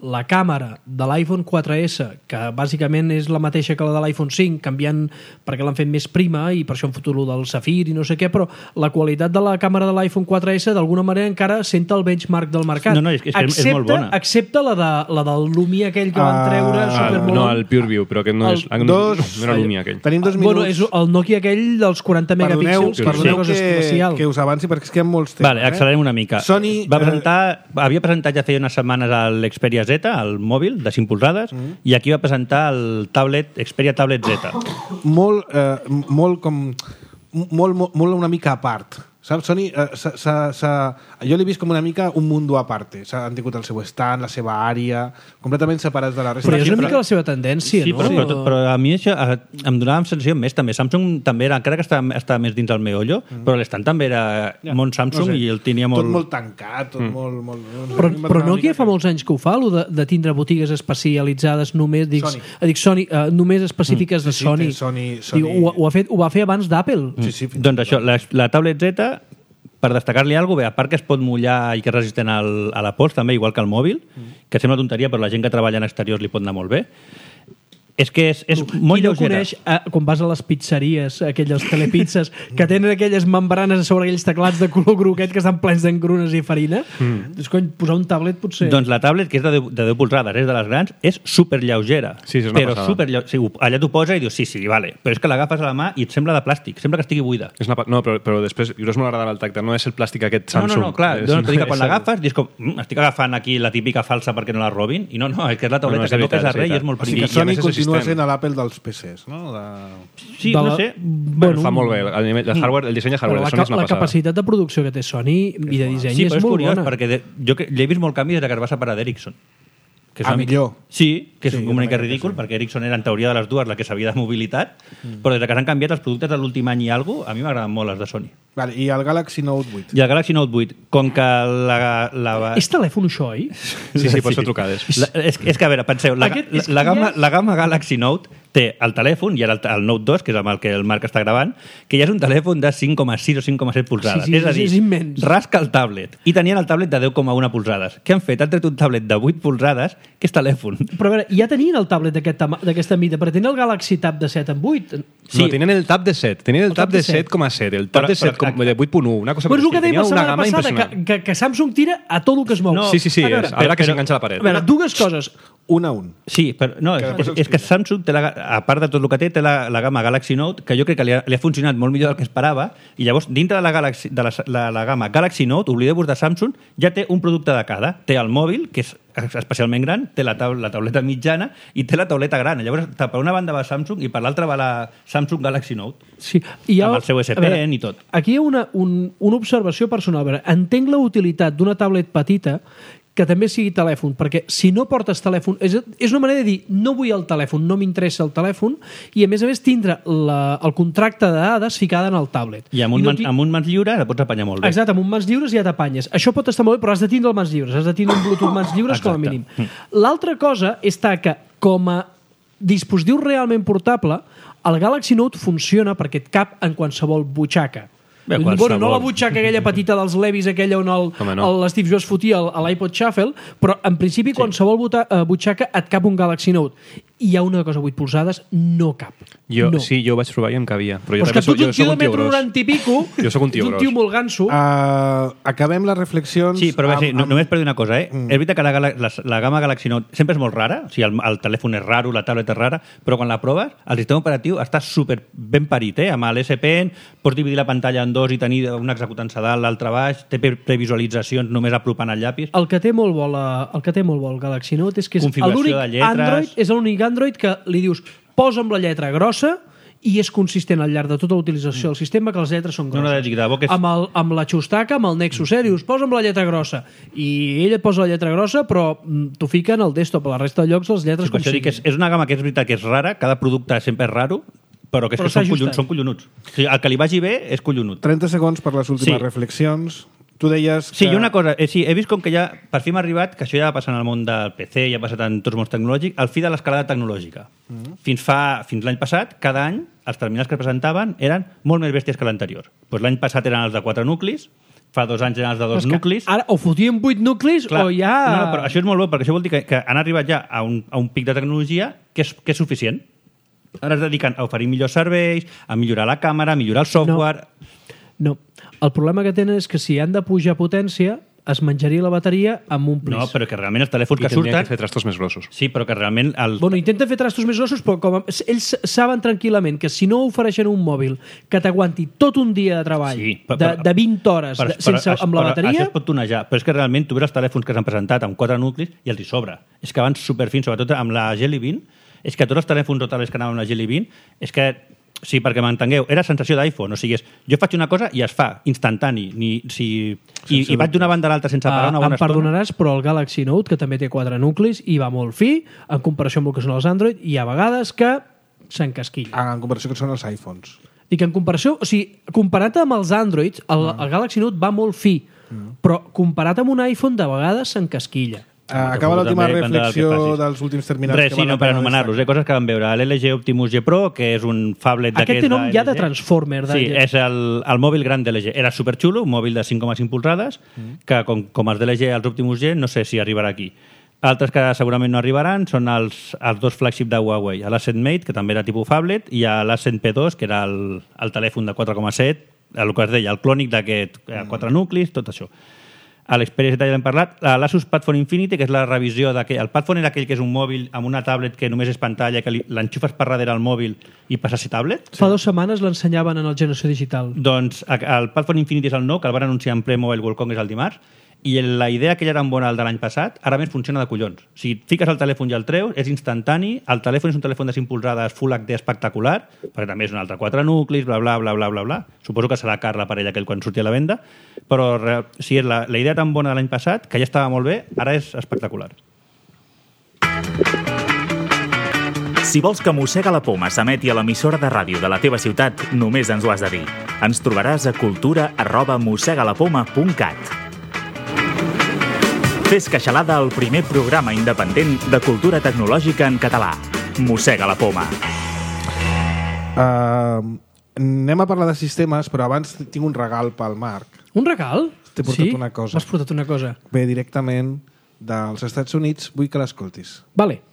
la càmera de l'iPhone 4S, que bàsicament és la mateixa que la de l'iPhone 5, canviant perquè l'han fet més prima i per això han fotut del Safir i no sé què, però la qualitat de la càmera de l'iPhone 4S d'alguna manera encara senta el benchmark del mercat. No, és molt bona. Excepte la del Lumia aquell que van treure supermolon. No, el PureView, però aquest no era Lumia aquell. Tenim 2 minuts. Bueno, és el Nokia aquell dels 40 megapíxels. Perdoneu que us avanci perquè és que hi ha molts temes. Vale, accelerem una mica. Sony havia presentat ja feia unes setmanes l'Xperia Z, el mòbil de 5 polzades, i aquí va presentar el Xperia Tablet Z. Molt una mica a part. Saps? Sony, jo l'he vist com una mica un mundo a parte. Han tingut el seu stand, la seva àrea, completament separats de la resta. Però és una mica la seva tendència, sí, no? Però a mi això em donava la sensació més també. Samsung també era, encara que estava més dins el meollo, però l'estand també era món Samsung i el tenia molt... Tot molt tancat, tot molt... Però Nokia fa molts anys que ho fa, de tindre botigues especialitzades només, Sony, només específiques de Sony. Ho va fer abans d'Apple. Doncs això, la tablet Z, per destacar-li alguna cosa, a part que es pot mullar i que és resistent a la pols, també, igual que el mòbil, que sembla tonteria, però la gent que treballa en exteriors li pot anar molt bé, és que és molt lleugera. Qui no coneix, quan vas a les pizzeries, aquelles telepizzas, que tenen aquelles membranes sobre aquells teclats de color groguet que estan plens d'engrunes i farina, doncs, cony, posar un tablet potser... Doncs la tablet, que és de 10 polzades, és de les grans, és superlleugerà. Sí, és una passada. Sí, allà t'ho posa i dius, sí, vale. Però és que l'agafes a la mà i et sembla de plàstic, sembla que estigui buida. No, però després, jo és molt agradable el tacte, no és el plàstic aquest Samsung. No, clar, quan l'agafes, dius com, estic agafant aquí la típica falsa perquè no la robin, i no, és que és la tauleta que no pesa res i és molt prim. O sigui que Sony continua sent a l'Apple dels PCs, no? Sí, no sé. Bueno, fa molt bé. El disseny de hardware de Sony és una passada. La capacitat de producció que té Sony i de disseny és molt bona. Sí, però és curiós, perquè jo l'he vist molt canvi des que es va separar d'Ericsson. Millor. Sí, que és un mica ridícul, perquè Ericsson era en teoria de les dues la que sabia de mobilitat, però des que s'han canviat els productes de l'últim any i alguna cosa, a mi m'agraden molt els de Sony. Vale, i el Galaxy Note 8? I el Galaxy Note 8, com que És telèfon això, oi? Sí, pots fer trucades. És que, a veure, penseu, la gamma Galaxy Note té el telèfon, i ara el Note 2, que és amb el que el Marc està gravant, que ja és un telèfon de 5,6 o 5,7 polzades. Sí, és a dir, és immens. Rasca el tablet. I tenien el tablet de 10,1 polzades. Què han fet? Han tret un tablet de 8 polzades, que és telèfon. Però a veure, ja tenien el tablet d'aquesta mida, però tenen el Galaxy Tab de 7 en 8. Sí. No, tenien el Tab de 7. Tenien el Tab de 7,7, el Tab de 7 de 8,1, una cosa per així. Però és el que dèiem la setmana passada, que Samsung tira a tot el que es mou. Sí, ara que s'enganxa a la paret. A veure, dues coses. Un a un. Sí, però no, és que Samsung, a part de tot el que té la gamma Galaxy Note, que jo crec que li ha funcionat molt millor del que esperava, i llavors, dintre de la gamma Galaxy Note, oblideu-vos de Samsung, ja té un producte de cada. Té el mòbil, que és especialment gran, té la tauleta mitjana i té la tauleta gran. Llavors, per una banda va Samsung i per l'altra va la Samsung Galaxy Note. Sí, amb el seu S Pen i tot. Aquí hi ha una observació personal. A veure, entenc la utilitat d'una tablet petita que també sigui telèfon, perquè si no portes telèfon, és una manera de dir no vull el telèfon, no m'interessa el telèfon, i a més tindre el contracte de dades ficada en el tablet. I amb un mans lliure la pots apanyar molt bé. Exacte, amb un mans lliures ja t'apanyes. Això pot estar molt bé, però has de tindre el mans lliures, has de tindre un Bluetooth mans lliures com a mínim. L'altra cosa està que com a dispositiu realment portable, el Galaxy Note funciona perquè et cap en qualsevol butxaca. Bueno, no la butxaca aquella petita dels Levis, aquella on l'Steve Jobs fotia a l'iPod Shuffle, però en principi qualsevol butxaca et cap un Galaxy Note. I hi ha una cosa, 8 polzades, no cap. Sí, jo ho vaig provar i em cabia. Però jo també soc un tio gros. Jo soc un tio gros. Un tio molt ganso. Acabem les reflexions... Sí, però només per dir una cosa, És veritat que la gamma Galaxy Note sempre és molt rara, o sigui, el telèfon és raro, la tablet és rara, però quan la proves, el sistema operatiu està super ben parit, Amb l'S Pen pots dividir la pantalla en dos i tenir un executant a dalt, l'altre baix, té previsualitzacions només apropant el llapis. El que té molt bo el Galaxy Note és que és l'únic Android, és l'únic Android que li dius posa'm la lletra grossa i és consistent al llarg de tota la utilització del sistema que les lletres són grosses. Amb la xustaca, amb el Nexus Serious, posa'm la lletra grossa. I ell et posa la lletra grossa, però t'ho fica en el desktop. A la resta de llocs les lletres com siguin. És una gamma que és veritat que és rara, cada producte sempre és raro, però que són collonuts. O sigui, el que li vagi bé és collonut. 30 segons per les últimes reflexions. Tu deies que... Sí, i una cosa, he vist com que ja, per fi m'ha arribat, que això ja va passar en el món del PC, ja ha passat en tots els mons tecnològics, el fi de l'escalada tecnològica. Fins l'any passat, cada any, els terminals que es presentaven eren molt més bèsties que l'anterior. L'any passat eren els de 4 nuclis, fa 2 anys eren els de 2 nuclis. Ara o fotien 8 nuclis o ja... No, però això és molt bo, perquè això vol dir que han arribat ja a un pic de tecnologia que és suficient. Ara es dediquen a oferir millors serveis, a millorar la càmera, a millorar el software... No. El problema que tenen és que si han de pujar potència es menjaria la bateria amb un plis. No, però que realment els telèfons que surten... I tindrien que fer trastos més grossos. Sí, però que realment... Bueno, intenten fer trastos més grossos, però ells saben tranquil·lament que si no ofereixen un mòbil que t'aguanti tot un dia de treball, de 20 hores amb la bateria... Això es pot tonejar, però és que realment tu veus els telèfons que s'han presentat amb 4 nuclis i els hi sobra. És que van superfins, sobretot amb la Jelly Bean, és que tots els telèfons totalers que anaven amb la Jelly Bean, és que... Sí, perquè m'entengueu, era sensació d'iPhone, o sigui, jo faig una cosa i es fa, instantani, i vaig d'una banda a l'altra sense parar una bona estona. Em perdonaràs, però el Galaxy Note, que també té 4 nuclis, i va molt fi, en comparació amb el que són els Android, i a vegades que s'encasquilla. En comparació que són els iPhones. I que en comparació, o sigui, comparat amb els Android, el Galaxy Note va molt fi, però comparat amb un iPhone, de vegades s'encasquilla. Acaba l'última reflexió dels últims terminals. Res, sí, no, per anomenar-los, coses que vam veure. L'LG Optimus G Pro, que és un phablet d'aquest... Aquest té nom ja de Transformer. Sí, és el mòbil gran de LG. Era superxulo, un mòbil de 5,5 polzades, que com els de LG, els Optimus G, no sé si arribarà aquí. Altres que segurament no arribaran són els 2 flagship de Huawei, l'Ascend Mate, que també era tipus phablet, i l'Ascend P2, que era el telèfon de 4,7, el que es deia, el clònic d'aquest 4 nuclis, tot això. A l'Xperia Z ja l'hem parlat. L'Asus Padfone Infinity, que és la revisió d'aquell... El Padfone era aquell que és un mòbil amb una tablet que només és pantalla, que l'enxufes per darrere al mòbil i passa a ser tablet. Fa 2 setmanes l'ensenyaven en el Generació Digital. Doncs el Padfone Infinity és el nou, que el van anunciar en ple Mobile World Congress el dimarts, i la idea que ja era bona el de l'any passat, ara més funciona de collons. Si fiques el telèfon i el treus, és instantani, el telèfon és un telèfon de 5 polzades Full HD espectacular, perquè també és un altre 4 nuclis, bla, bla, bla, bla, bla, bla. Suposo que serà car l'aparell aquell quan surti a la venda, però si és la idea tan bona de l'any passat, que ja estava molt bé, ara és espectacular. Si vols que Mossega la Poma s'emeti a l'emissora de ràdio de la teva ciutat, només ens ho has de dir. Ens trobaràs a cultura@mossegalapoma.cat. Fes Queixalada, el primer programa independent de cultura tecnològica en català. Mossega la Poma. Anem a parlar de sistemes, però abans tinc un regal pel Marc. Un regal? T'he portat una cosa. M'has portat una cosa. Ve directament dels Estats Units, vull que l'escoltis. Vale.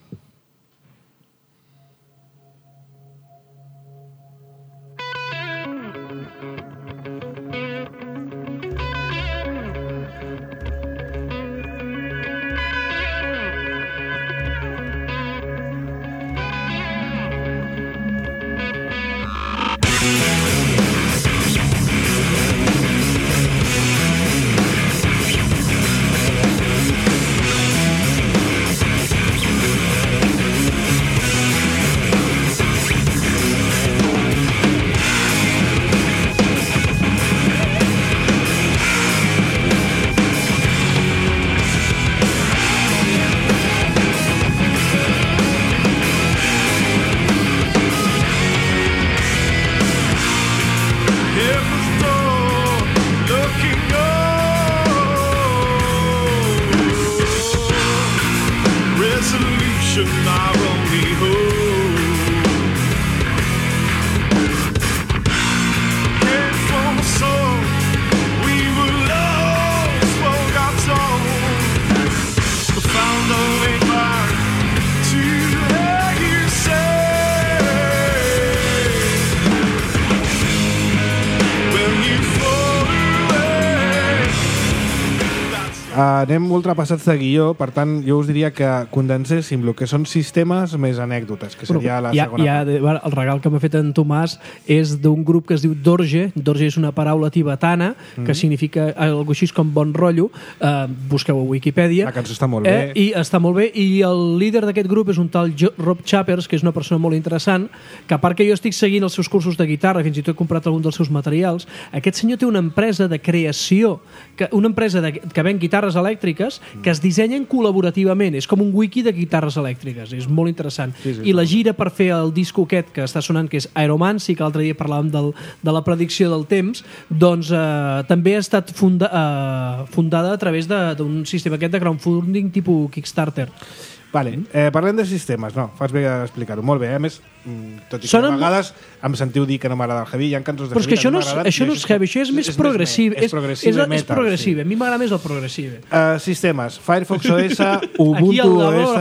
Anem ultrapassats de guió, per tant, jo us diria que condenséssim el que són sistemes més anècdotes, que seria la segona part. El regal que m'ha fet en Tomàs és d'un grup que es diu Dorje. Dorje és una paraula tibetana que significa algo així com bon rotllo. Busqueu a Wikipedia. La cançó està molt bé. I està molt bé. I el líder d'aquest grup és un tal Rob Chappers, que és una persona molt interessant, que a part que jo estic seguint els seus cursos de guitarra, fins i tot he comprat algun dels seus materials, aquest senyor té una empresa de creació, una empresa que ven guitarres elèctriques que es dissenyen col·laborativament. És com un wiki de guitarres elèctriques. És molt interessant. Sí, I la gira per fer el disco aquest que està sonant, que és Aeromancy, que l'altre dia parlàvem de la predicció del temps, doncs també ha estat fundada a través d'un sistema aquest de crowdfunding tipus Kickstarter. Vale, parlem de sistemes. No, fas bé explicar-ho. Molt bé. A més, tot i que a vegades em sentiu dir que no m'agrada el heavy, hi ha cançons de heavy. Però és que això no és heavy, això és més progressiu. És progressive metal. És progressive, a mi m'agrada més el progressive. Sistemes, Firefox OS, Ubuntu OS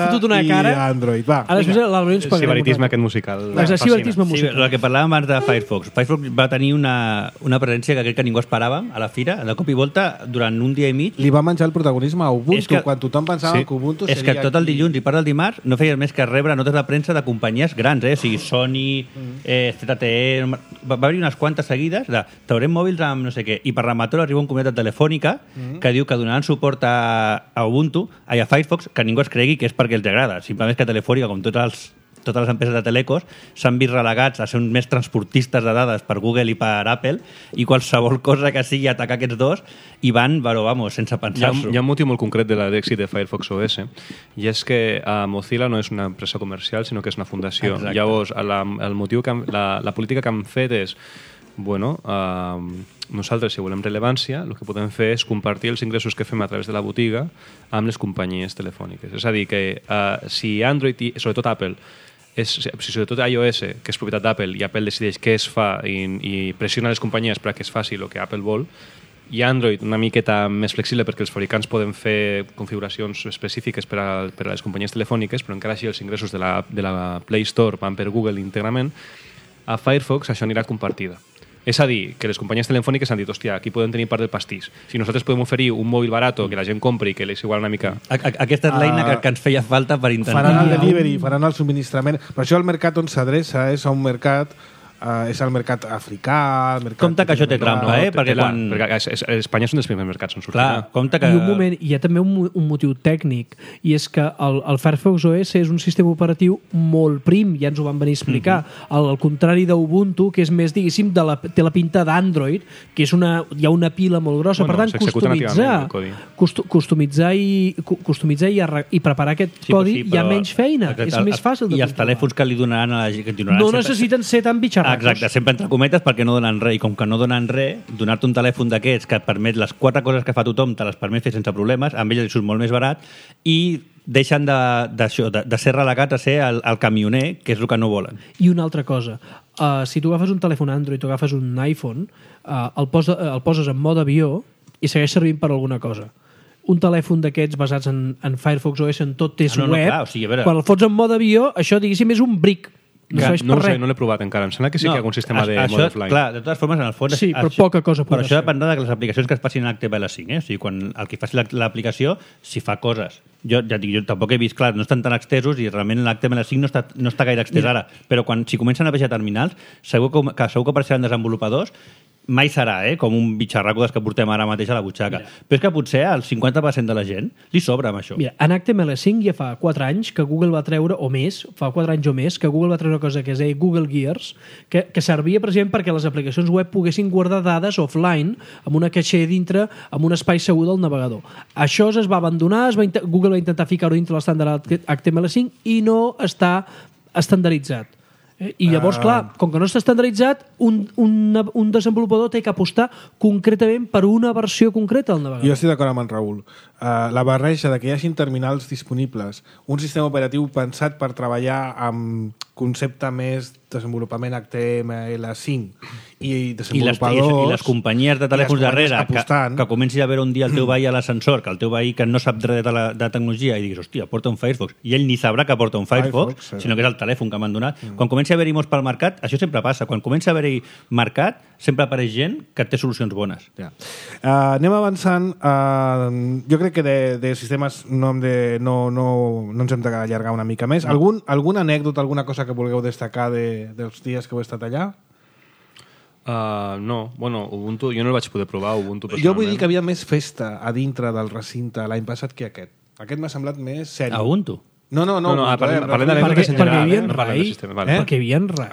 i Android. Va, ara després l'Albert ens pagarem. Sibaritisme aquest musical. Sibaritisme musical. Sí, el que parlàvem abans de Firefox. Firefox va tenir una presència que crec que ningú esperava a la fira, de cop i volta, durant un dia i mig. Li va menjar el protagonisme a Ubuntu, quan tothom pensava que Ubuntu seria... És que tot el dilluns i part del dimarts no feies més que rebre notes de premsa de companyies grans, o sigui, Sony, ZTE... Va haver unes quantes seguides de traurem mòbils amb no sé què, i per rematar arriba un comunitat telefònica que diu que donaran suport a Ubuntu, a Firefox, que ningú es cregui que és perquè els agrada. Simplement és que Telefònica, com totes les empreses de telecos, s'han vist relegats a ser uns més transportistes de dades per Google i per Apple, i qualsevol cosa que sigui atacar aquests dos, i van, però, vamos, sense pensar-s'ho. Hi ha un motiu molt concret de l'èxit de Firefox OS, i és que Mozilla no és una empresa comercial, sinó que és una fundació. Exacte. Llavors, el motiu la política que han fet és nosaltres, si volem rellevància, el que podem fer és compartir els ingressos que fem a través de la botiga amb les companyies telefòniques. És a dir, que si Android i sobretot Apple sobretot iOS, que és propietat d'Apple, i Apple decideix què es fa i pressiona les companyies perquè es faci el que Apple vol, i Android una miqueta més flexible perquè els fabricants poden fer configuracions específiques per a les companyies telefòniques, però encara així els ingressos de la Play Store van per Google íntegrament, a Firefox això anirà compartida. És a dir, que les companyies telefòniques han dit, hòstia, aquí podem tenir part del pastís. Si nosaltres podem oferir un mòbil barat que la gent compri i que és igual una mica... Aquesta és l'eina que ens feia falta per intentar... Faran el delivery, faran el subministrament. Per això el mercat on s'adreça és a un mercat... és el mercat africà... Compte que això té trampa, perquè Espanya és un dels primers mercats on sortirà. Clar, compte que... I un moment, hi ha també un motiu tècnic, i és que el Firefox OS és un sistema operatiu molt prim, ja ens ho van venir a explicar, al contrari d'Ubuntu, que és més, diguéssim, té la pinta d'Android, que és hi ha una pila molt grossa, per tant, customitzar i preparar aquest codi hi ha menys feina, és més fàcil de controlar. I els telèfons que li donaran a la gent... No necessiten ser tan bitxarracos. Exacte, sempre entre cometes perquè no donen res, i com que no donen res, donar-te un telèfon d'aquests que et permet les 4 coses que fa tothom, te les permet fer sense problemes, amb ells surt molt més barat, i deixen de ser relegats a ser el camioner, que és el que no volen. I una altra cosa, si tu agafes un telèfon Android o agafes un iPhone, el poses en mode avió i segueix servint per alguna cosa. Un telèfon d'aquests basats en Firefox OS en tot és web, clar, o sigui, quan el fots en mode avió, això, diguéssim, és un brick. No ho sé, no l'he provat encara. Em sembla que sí que hi ha algun sistema de mode offline. Clar, de totes formes, en el fons... Sí, però poca cosa podrà ser. Però això dependrà de les aplicacions que es passin en HTML5. O sigui, quan el que faci l'aplicació, si fa coses. Jo tampoc he vist, clar, no estan tan extesos i realment l'HTML5 no està gaire extès ara. Però si comencen a baixar terminals, segur que apareixeran desenvolupadors, mai serà com un bitxarraco que portem ara mateix a la butxaca. Mira. Però és que potser al 50% de la gent li sobra amb això. Mira, en HTML5 ja fa 4 anys que Google va treure, o més, fa 4 anys o més, que Google va treure una cosa que es deia Google Gears, que servia precisament perquè les aplicacions web poguessin guardar dades offline amb una caixer dintre, amb un espai segur del navegador. Això es va abandonar, Google va intentar ficar-ho dintre l'estàndard HTML5 i no està estandarditzat. I llavors, clar, com que no està estandarditzat, un desenvolupador té que apostar concretament per una versió concreta del navegador. Jo estic d'acord amb en Raül. La barreja de que hi hagin terminals disponibles, un sistema operatiu pensat per treballar amb concepte més desenvolupament HTML5 i desenvolupadors... I les companyies de telèfons darrere, que comenci a veure un dia el teu veí a l'ascensor, que el teu veí que no sap res de tecnologia i diguis, hòstia, porta un Firefox, i ell ni sabrà que porta un Firefox, sinó que és el telèfon que m'han donat. Quan comenci a haver-hi molts pel mercat, això sempre passa. Quan comença a haver-hi mercat, sempre apareix gent que té solucions bones. Ja. Anem avançant. Jo crec que de sistemes no ens hem d'allargar una mica més. Alguna anècdota, alguna cosa que vulgueu destacar dels dies que heu estat allà? No, bueno, Ubuntu, jo no el vaig poder provar, Ubuntu personalment. Jo vull dir que havia més festa a dintre del recinte l'any passat que aquest. Aquest m'ha semblat més sèrio. A Ubuntu? No, parlem de l'època general. Perquè hi havia en Rai. Perquè hi havia en Rai.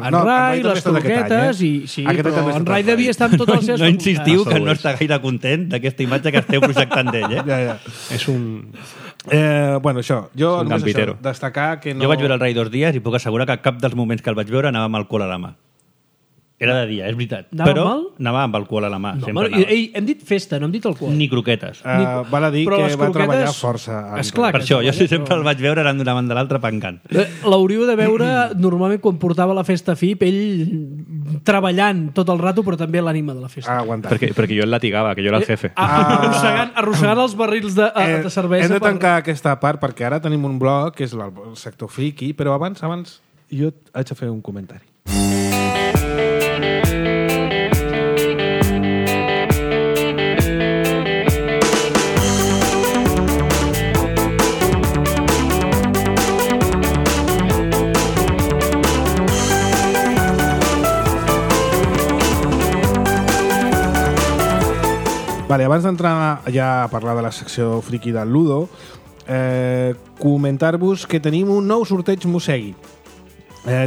En Rai, les croquetes, sí, però en Rai devia estar amb totes les seves... No insistiu que no està gaire content d'aquesta imatge que esteu projectant d'ell, Ja. És un... Bueno, això. Jo només això, destacar que no... Jo vaig veure el Rai 2 dies i puc assegurar que cap dels moments que el vaig veure anava amb alcohol a la mà. Era de dia, és veritat. Anava Però mal? anava amb alcohol a la mà. No, sempre home, anava. hem dit festa, no hem dit alcohol. Ni croquetes. Val a dir Però que les va croquetes- treballar força. Esclar, Per que això, jo treballa, sempre el vaig veure anant d'una banda a l'altra pengant. L'hauríeu de veure normalment quan portava la festa FIP, ell treballant tot el rato, però també l'ànima de la festa. Aguantar. Perquè jo el latigava, que jo era el jefe. Arrossegant els barrils de cervesa. Hem de tancar aquesta part perquè ara tenim un blog que és el sector friki, però abans jo haig de fer un comentari. Vale, abans d'entrar ja a parlar de la secció friki del Ludo, comentar-vos que tenim un nou sorteig Mosegui.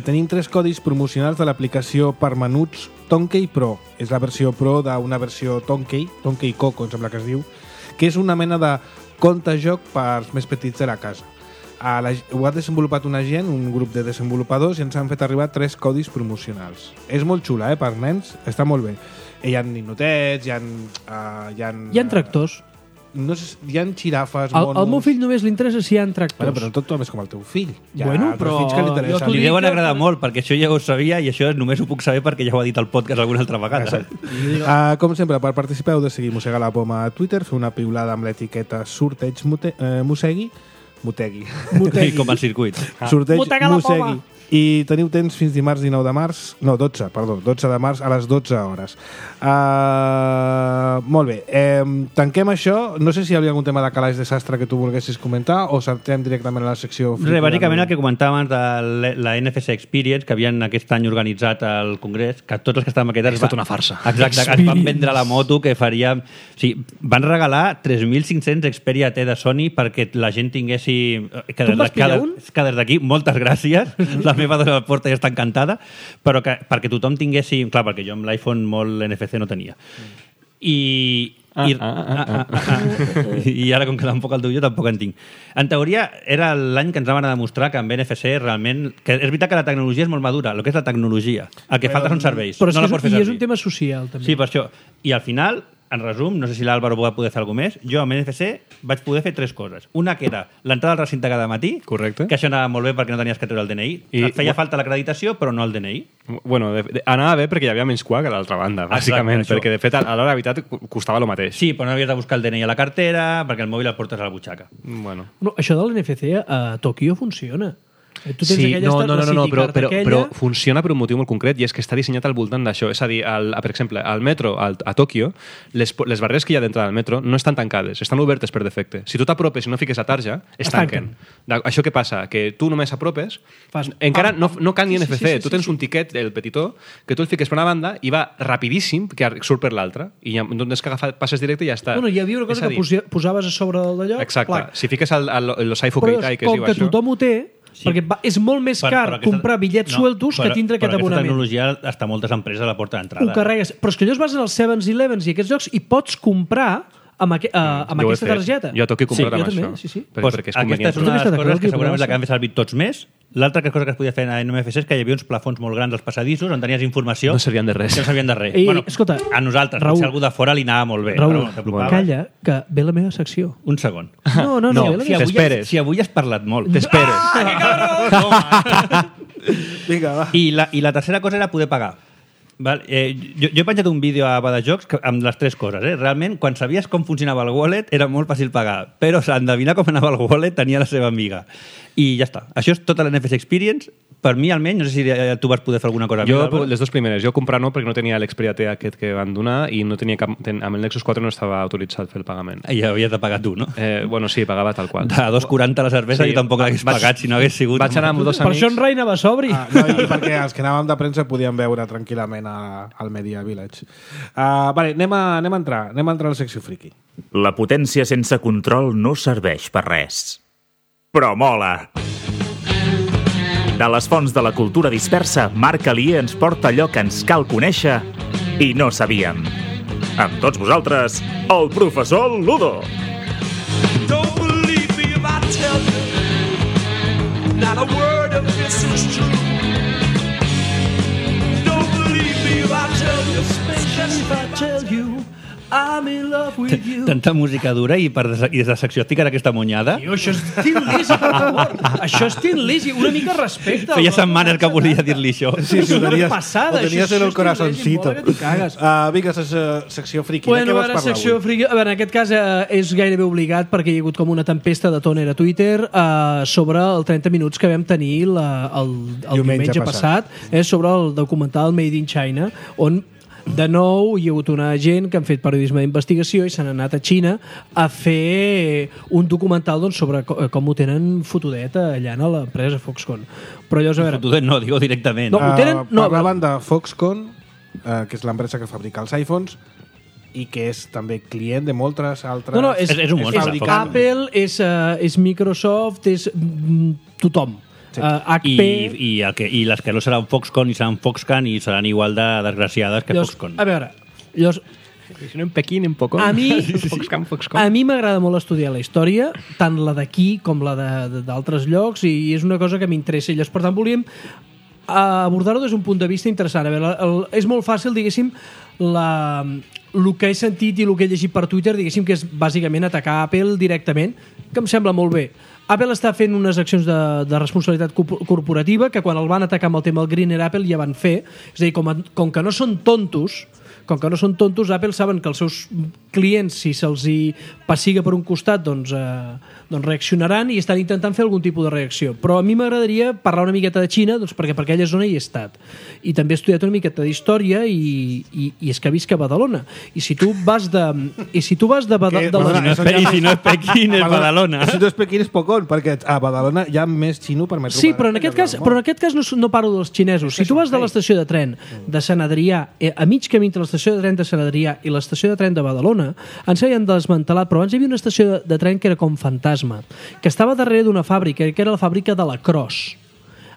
Tenim 3 codis promocionals de l'aplicació per menuts Tonkey Pro. És la versió Pro d'una versió Tonkey Coco, em sembla que es diu, que és una mena de compte-joc pels més petits de la casa. Ho ha desenvolupat una gent, un grup de desenvolupadors, i ens han fet arribar 3 codis promocionals. És molt xula, per nens, està molt bé. Hi ha ninotets, hi ha tractors. No sé, hi ha xirafes, Al meu fill només li interessa si hi ha tractors. Bueno, però tot és com el teu fill. Bueno, però fills que li interessen. jo Li deuen agradar molt, perquè això ja ho sabia i això només ho puc saber perquè ja ho ha dit al podcast alguna altra vegada. Com sempre, per participar heu de seguir Mossega la Poma a Twitter, fer una piulada amb l'etiqueta Sorteig Mosegui, Motegui. Com el circuit. Sorteig Motega la Poma. Mosegui. I teniu temps fins dimarts 19 de març, no, 12 de març a les 12 hores. Molt bé, tanquem això. No sé si hi havia algun tema de calaix de sastre que tu volguessis comentar o saltem directament a la secció... Bàsicament el que comentàvem de la NFC Experience, que havien aquest any organitzat al Congrés, que tots els que estàvem aquest any... És tota una farsa. Exacte, que es van vendre la moto, que faríem... O sigui, van regalar 3.500 Xperia T de Sony perquè la gent tinguessi... Tu en vas pillar un? Que des d'aquí, moltes gràcies. La meva dona de la porta ja està encantada, però que perquè tothom tinguessi... Clar, perquè jo amb l'iPhone molt NFC no tenia. I ara, com que tampoc el teu jo, tampoc en tinc. En teoria, era l'any que ens van demostrar que amb NFC realment... Que és veritat que la tecnologia és molt madura, el que és la tecnologia. El que falta són serveis. Però no la pots fer és servir. un tema social, també. Sí, per això. I al final, en resum, no sé si l'Àlvaro va poder fer alguna més, jo amb NFC vaig poder fer 3 coses. Una que era l'entrada al recinte cada matí, Correcte. que això anava molt bé perquè no tenies que treure el DNI. Et feia falta l'acreditació, però no el DNI. Bueno, anava bé perquè hi havia menys cua que a l'altra banda, bàsicament, Exacte, perquè de fet a l'hora de veritat costava el mateix. Sí, però no havies de buscar el DNI a la cartera, perquè el mòbil el portes a la butxaca. Bueno. No, això de l'NFC a Tòquio funciona. Tu tens Sí, aquella no, Card però funciona per un motiu molt concret i és que està dissenyat al voltant d'això. És a dir, per exemple, al metro, a Tòquio, les barreres que hi ha d'entrada al metro no estan tancades, estan obertes per defecte. Si tu t'apropes i no fiques la tarja, es tanquen. Això què passa? Que tu només apropes, encara no cal ni NFC. Tu tens un tiquet, el petitó, que tu el fiques per una banda i va rapidíssim que surt per l'altra. I ja, no és que passes directe i ja està. Bueno, hi havia una cosa que posaves a sobre d'allò. Exacte. Si fiques el Saifu Keitai, que es diu això... Però com que això... tothom ho té, perquè és molt més car comprar bitllets sueltos que tindre aquest abonament. Però aquesta tecnologia està moltes empreses a la porta d'entrada. Ho carregues. Però és que allò es basa en els 7-Elevens i aquests llocs i pots comprar amb aquesta targeta. Jo a Tòquio he comprat amb això. Sí. Perquè és aquesta és una de les coses que segurament és la que han fet servir tots més. L'altra cosa que es podia fer a NFC és que hi havia uns plafons molt grans als passadissos on tenies informació... No servien de res. Que no servien de res. Escolta, a nosaltres, Raül, potser algú de fora li anava molt bé. Raül, calla, que ve la meva secció. Un segon. No, t'esperes. Si avui has parlat molt. T'esperes. Que cabró! Vinga, va. I la tercera cosa era poder pagar. Val? Jo he penjat un vídeo a Badajocs amb les 3 coses. Realment, quan sabies com funcionava el wallet, era molt fàcil pagar. Però endevinar com anava el wallet tenia la seva amiga. I ja està. Això és tota la NFC Experience. Per mi, almenys, no sé si tu vas poder fer alguna cosa. Les 2 primeres. Jo comprar no, perquè no tenia l'Xperia T aquest que van donar i no tenia amb el Nexus 4 no estava autoritzat fer el pagament. I havies de pagar tu, no? Bueno, sí, pagava tal qual. A 2,40 la cervesa jo tampoc l'hagués pagat si no hagués sigut... Vaig anar amb 2 amics... Per això en Rai anava sobri. No, i perquè els que anàvem de premsa podíem veure tranquil·lament al Media Village. Vale, anem a entrar a la secció friki. La potència sense control no serveix per res. Però mola! De les fonts de la cultura dispersa, Marc Alier ens porta allò que ens cal conèixer i no sabíem. Amb tots vosaltres, el professor Ludo. Don't believe me if I tell you not a word of this is true. Don't believe me if if I tell you I'm in love with you. Tanta música dura i des de secció estic en aquesta monyada. Tio, això és Tin Lizzy, per favor. Això és Tin Lizzy. Una mica de respecte. Feia setmanes que volia dir-li això. Sí, És una ho passada. tenies en el corazoncito. Vinga, secció friki. Bueno, de què vas ara, parlar secció avui? friki. A veure, en aquest cas és gairebé obligat perquè hi ha hagut com una tempesta de tòner a Twitter sobre el 30 minuts que vam tenir el diumenge passat sobre el documental Made in China, on de nou hi ha hagut una gent que han fet periodisme d'investigació i s'han anat a Xina a fer un documental doncs, sobre com ho tenen fotudet allà a l'empresa Foxconn. Però llavors, a veure... Fotudet no, digo directament. No, ho tenen... Parlaven de Foxconn, que és l'empresa que fabrica els iPhones i que és també client de moltes altres... No, és un monstre, és Foxconn. Apple, és Microsoft, és tothom. Sí. HP... I les que no seran Foxconn i seran Foxconn i seran igual de desgraciades que llavors, Foxconn. a veure, llavors, Si no en Pequín, en Poco. a mi Foxconn. a mi m'agrada molt estudiar la història, tant la d'aquí com la d'altres llocs, i és una cosa que m'interessa. I llavors, per tant, volíem abordar-ho des d'un punt de vista interessant. A veure, és molt fàcil, diguéssim, el que he sentit i el que he llegit per Twitter, diguéssim que és bàsicament atacar Apple directament, que em sembla molt bé. Apple està fent unes accions de responsabilitat corporativa que quan el van atacar amb el tema del Greener Apple ja van fer. És a dir, com que no són tontos, Apple saben que els seus clients, si se'ls hi passiga per un costat, doncs reaccionaran i estan intentant fer algun tipus de reacció. Però a mi m'agradaria parlar una miqueta de Xina, doncs, perquè per aquella zona hi he estat. I també he estudiat una miqueta d'història i és que visc a Badalona. I si tu vas de Badalona, I si no és Pequín, és Badalona. Si no és Pequín, és Pocón, perquè a Badalona hi ha més xino per metro Sí, quadrat però en que aquest cas no parlo dels xinesos. Si tu vas de l'estació de tren de Sant Adrià, a mig camí entre l'estació de tren de Sant Adrià i l'estació de tren de Badalona, ens havien desmantelat, però abans hi havia una estació de tren que era com fantasma, que estava darrere d'una fàbrica, que era la fàbrica de la Cros.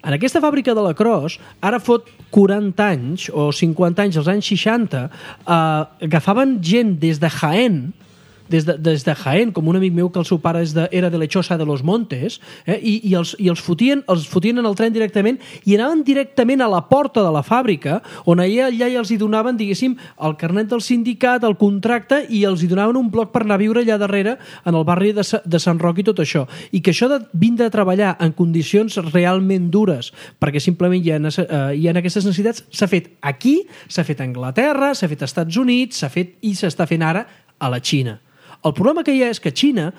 En aquesta fàbrica de la Cros, ara fot 40 anys o 50 anys, als anys 60, agafaven gent des de Jaén, des de Jaén, com un amic meu que el seu pare era de Lechosa de los Montes, i els fotien en el tren directament i anaven directament a la porta de la fàbrica, on allà els hi donaven, diguéssim, el carnet del sindicat, el contracte, i els hi donaven un bloc per anar a viure allà darrere, en el barri de Sant Roc i tot això. I que això de vindre a treballar en condicions realment dures, perquè simplement hi ha aquestes necessitats, s'ha fet aquí, s'ha fet a Anglaterra, s'ha fet als Estats Units, s'ha fet i s'està fent ara a la Xina. El problema que hi ha és que Xina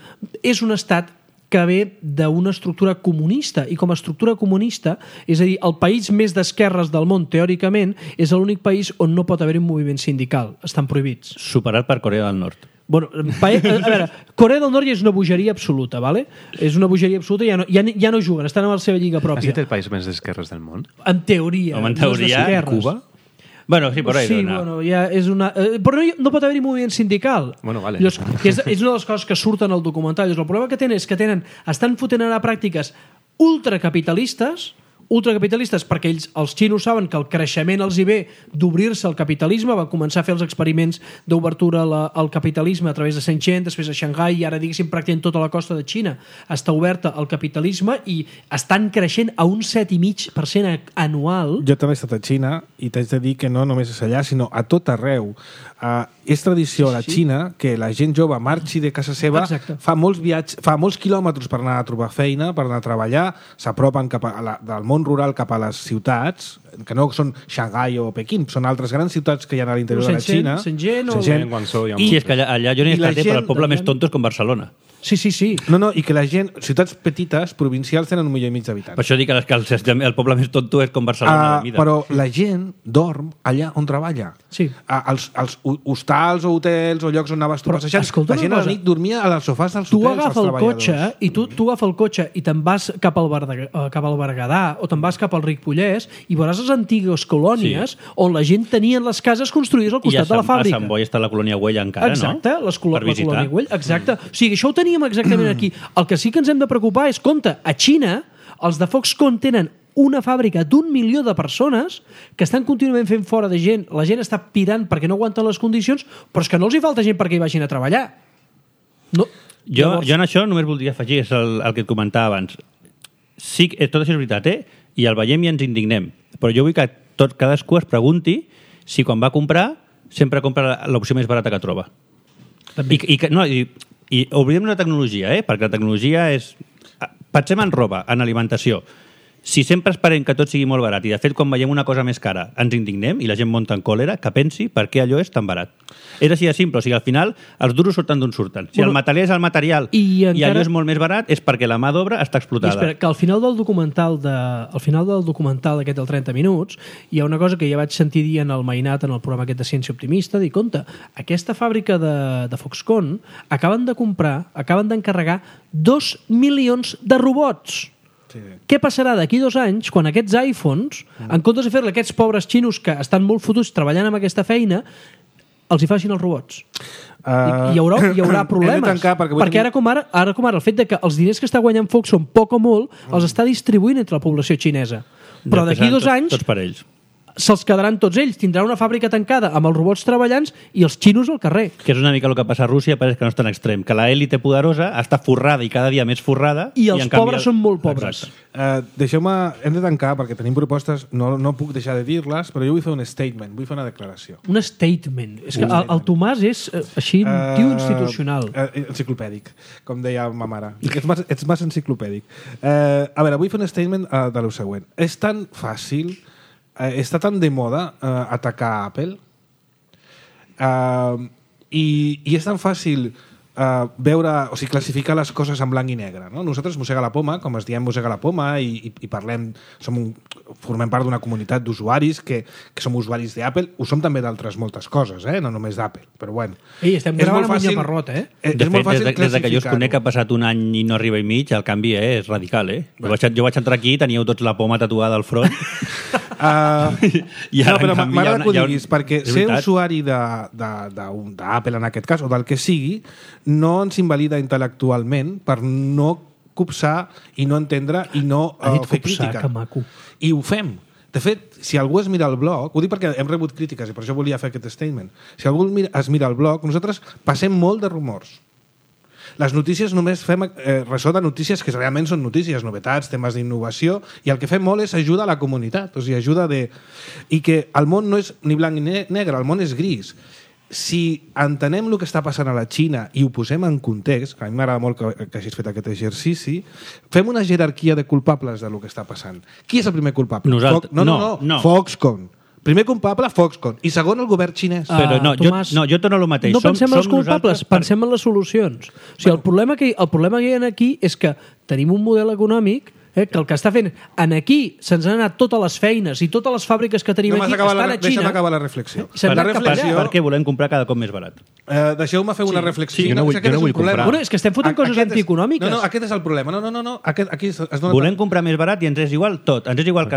és un estat que ve d'una estructura comunista, i com a estructura comunista, és a dir, el país més d'esquerres del món, teòricament, és l'únic país on no pot haver un moviment sindical. Estan prohibits. Superat per Corea del Nord. Bueno, a veure, Corea del Nord ja és una bogeria absoluta, ¿vale? És una bogeria absoluta, ja no juguen, estan a la seva lliga Ha pròpia. estat el país més d'esquerres del món? En teoria. Home, en no és teoria, d'esquerres. Cuba? Bueno, sí, por ahí. Sí, bueno, ja és una... però no pot haver-hi moviment sindical. Bueno, vale. Llavors, que és una de les coses que surten al documental. Llavors, el problema que tenen és que estan fotent anar a pràctiques ultracapitalistes perquè els xinos saben que el creixement els hi ve d'obrir-se al capitalisme, van començar a fer els experiments d'obertura al capitalisme a través de Shenzhen, després a Shanghai, i ara, diguéssim, pràcticament tota la costa de Xina està oberta al capitalisme i estan creixent a un 7,5% anual. Jo també he estat a Xina i t'haig de dir que no només és allà, sinó a tot arreu. És tradició a la Xina que la gent jove marxi de casa seva, Exacte. fa molts quilòmetres per anar a trobar feina, per anar a treballar, s'apropen del món rural cap a les ciutats, que no són Shanghai o Pequín, són altres grans ciutats que hi ha a l'interior de la Xina. Shenzhen o... En Guangzhou hi ha Sí, és que allà jo n'he I la estat, però el gent- poble més tonto és com Barcelona. Sí. No, i que la gent, ciutats petites, provincials, tenen 1,5 milió d'habitants. Per això dic que el poble més tonto és com Barcelona. de mida. Però la gent dorm allà on treballa. Sí. Els hostals o hotels o llocs on anaves tu Però, passejant, escolta la una gent a la cosa. nit dormia als sofàs dels Tu hotels, agafa els el cotxe treballadors. i tu agafa el cotxe i te'n vas cap al Berguedà o te'n vas cap al Ripollès i veuràs les antigues colònies on la gent tenia les cases construïdes al I costat de la fàbrica. a Sant Boi està la colònia Güell encara, Exacte, no? la Per visitar. colònia Güell, exacte. O sigui, això ho teníem exactament aquí. El que sí que ens hem de preocupar és, compte, a Xina, els de Foxconn tenen una fàbrica d'1 milió de persones que estan contínuament fent fora de gent. La gent està pirant perquè no aguanten les condicions, però és que no els hi falta gent perquè hi vagin a treballar. No. Jo en això només voldria afegir, és el que et comentava abans. Sí, tot això és veritat, i el veiem i ens indignem. Però jo vull que cadascú es pregunti si quan va comprar sempre compra l'opció més barata que troba. I oblidem la tecnologia, perquè la tecnologia és... Pensem en roba, en alimentació. Si sempre esperem que tot sigui molt barat i, de fet, quan veiem una cosa més cara ens indignem i la gent monta en còlera, que pensi per què allò és tan barat. És així de simple. O sigui, al final, els duros surten d'on surten. Si el material és el material i allò és molt més barat, és perquè la mà d'obra està explotada. I espera, que al final del documental d'aquest del 30 minuts hi ha una cosa que ja vaig sentir dir en el Mainat, en el programa aquest de Ciència Optimista, dir, compte, aquesta fàbrica de Foxconn acaben d'encarregar 2 milions de robots. Sí. Què passarà d'aquí 2 anys quan aquests iPhones, en comptes de fer-li aquests pobres xinos que estan molt fotuts treballant amb aquesta feina, els hi facin els robots? Hi haurà problemes. Perquè ara com ara el fet de que els diners que està guanyant Foxconn poc o molt els està distribuint entre la població xinesa. Però d'aquí 2 anys... Tots per ells. Se'ls quedaran tots ells, tindran una fàbrica tancada amb els robots treballant i els xinos al carrer. Que és una mica el que passa a Rússia, però és que no és tan extrem, que l'élite poderosa està forrada i cada dia més forrada i els pobres són molt pobres. Deixeu-me, hem de tancar perquè tenim propostes, no puc deixar de dir-les, però jo vull fer un statement, vull fer una declaració. Un statement. És que el Tomàs és així un tio institucional. Enciclopèdic, com deia ma mare. Ets massa enciclopèdic. A veure, vull fer un statement de lo següent. És tan fàcil... està tan de moda atacar Apple i és tan fàcil veure, o sigui, classificar les coses en blanc i negre, no? Nosaltres, Mossega la Poma, com es diem Mossega la Poma, i parlem, formem part d'una comunitat d'usuaris que som usuaris d'Apple, ho som també d'altres moltes coses, no només d'Apple, però bueno. Estem gravant amb un llaparrot, De fet, des que jo us conec ha passat un any i no arriba i mig, el canvi és radical, Jo vaig entrar aquí i teníeu tots la poma tatuada al front. Però m'agrada que ho diguis, perquè ser usuari d'Apple en aquest cas, o del que sigui, no ens invalida intel·lectualment per no copsar i no entendre i no fer crítica. Que maco. I ho fem. De fet, si algú es mira el blog, ho dic perquè hem rebut crítiques i per això volia fer aquest statement, si algú es mira el blog, nosaltres passem molt de rumors. Les notícies només fem ressò de notícies que realment són notícies, novetats, temes d'innovació, i el que fem molt és ajuda a la comunitat, o sigui, i que el món no és ni blanc ni negre, el món és gris. Si entenem el que està passant a la Xina i ho posem en context, que a mi m'agrada molt que hagis fet aquest exercici, fem una jerarquia de culpables del que està passant. Qui és el primer culpable? Nosaltres. No. Foxconn. Primer culpable, Foxconn. I segon, el govern xinès. Però Tomàs, jo torno al mateix. No pensem en els culpables, pensem en les solucions. O sigui, el problema que hi ha aquí és que tenim un model econòmic que el que està fent aquí se'ns han anat totes les feines i totes les fàbriques que tenim aquí estan a Xina. Deixa'm acabar la reflexió. Perquè volem comprar cada cop més barat. Deixeu-me fer una reflexió. Jo no vull comprar. Bueno, és que estem fotent coses antieconòmiques. No, aquest és el problema. No. Aquí es dona... Volem comprar més barat i ens és igual tot. Ens és igual que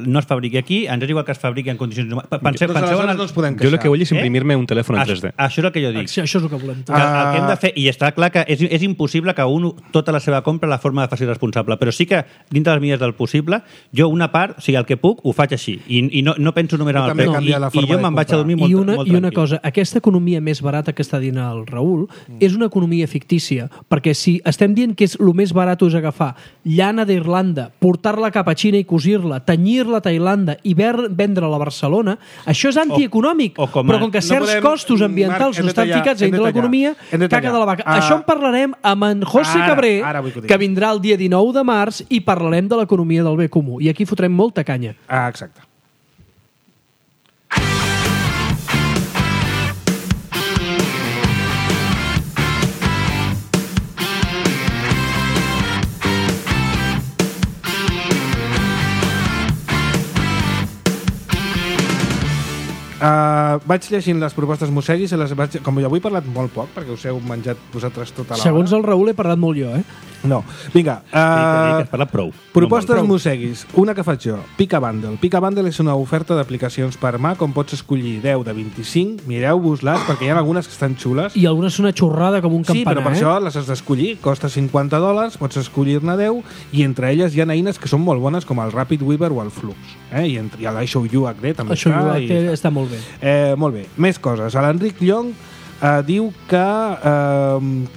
no es fabriqui aquí, ens és igual que es fabriqui en condicions... Penseu en no ens podem queixar. Jo el que vull és imprimir-me un telèfon en 3D. Això és el que jo dic. Això és el que volem. El que hem de fer, i està clar que és impossible que tota la seva compra la forma de fer responsable, però sí que dintre les mides del possible, jo una part, o sigui, el que puc, ho faig així. I no penso només en el preu. I jo me'n vaig a dormir molt tranquil. I una cosa, aquesta economia més barata que està dient el Raül és una economia fictícia, perquè si estem dient que és el més barat és agafar llana d'Irlanda, portar-la cap a Xina i cosir-la, tenyir-la a Tailanda i vendre-la a Barcelona, això és antieconòmic. Però com que certs costos ambientals no estan ficats dintre l'economia, caca de la vaca. Això en parlarem amb en José Cabré, que vindrà el dia 19 de març i parlarem de l'economia del bé comú. I aquí fotrem molta canya. Exacte. Vaig llegint les propostes Mosseguis i com jo avui he parlat molt poc perquè us heu menjat vosaltres tota l'hora. Segons el Raül he parlat molt jo, No, vinga. Has parlat prou. Propostes Mosseguis. Una que faig jo. Pica Bundle. Pica Bundle és una oferta d'aplicacions per Mac on pots escollir 10 de 25. Mireu-vos-les perquè hi ha algunes que estan xules. I algunes són una xorrada com un campanar. Sí, però per això les has d'escollir. Costa $50, pots escollir-ne 10 i entre elles hi ha eines que són molt bones com el Rapid Weaver o el Flux. I l'iShowU HD també està. L'iShowU HD està molt bé. Molt bé. Més coses. L'Enric Llong diu que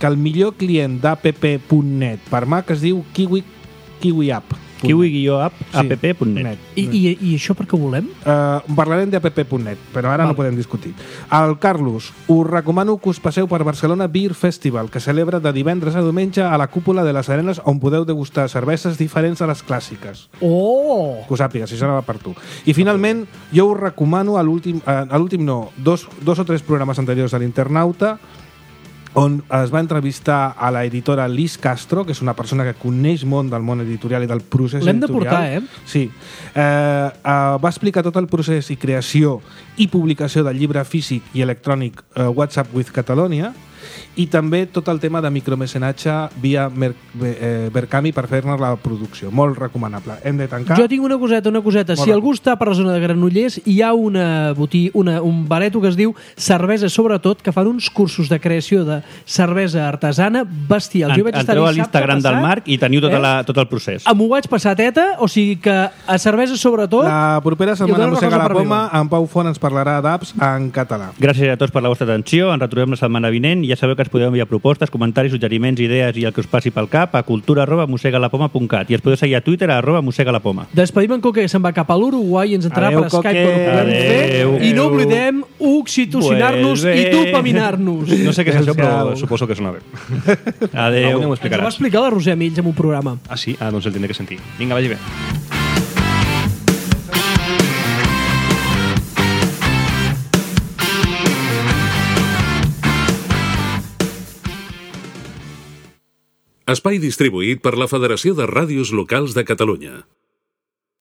el millor client d'app.net per Mac es diu Kiwi App. kiwi-app.net. I això per què volem? Parlarem d'app.net, però ara no podem discutir. El Carlos, us recomano que us passeu per Barcelona Beer Festival, que celebra de divendres a diumenge a la cúpula de les Arenes, on podeu degustar cerveses diferents a les clàssiques. Oh! Que ho sàpigues, si això no va per tu. I finalment, jo us recomano dos o tres programes anteriors de l'Internauta, on es va entrevistar a la editora Liz Castro, que és una persona que coneix molt del món editorial i del procés editorial. L'hem de portar, Sí. Va explicar tot el procés i creació i publicació del llibre físic i electrònic WhatsApp with Catalonia, i també tot el tema de micromecenatge via Verkami per fer-ne la producció. Molt recomanable. Hem de tancar. Jo tinc una coseta. Si algú està per la zona de Granollers, hi ha un bareto que es diu Cervesa Sobretot, que fan uns cursos de creació de cervesa artesana bestials. Entreu a l'Instagram del Marc i teniu tot el procés. M'ho vaig passar teta, o sigui que a Cervesa Sobretot... La propera setmana Mossega la Poma, en Pau Font ens parlarà d'apps en català. Gràcies a tots per la vostra atenció. Ens retrobem la setmana vinent. Ja sabeu que ens podeu enviar propostes, comentaris, suggeriments, idees i el que us passi pel cap a cultura@mossegalapoma.cat i ens podeu seguir a Twitter @mossegalapoma. Despedim en Coque, que se'n va cap a l'Uruguai i ens entrarà per Skype quan ho podem fer. I no oblidem oxitocinar-nos i dopaminar-nos. No sé què és això, però suposo que sona bé. Adéu. Ens ho va explicar la Roser Mills en un programa. Ah, sí? Ah, doncs el tindré que sentir. Vinga, vagi bé. Espai distribuït per la Federació de Ràdios Locals de Catalunya.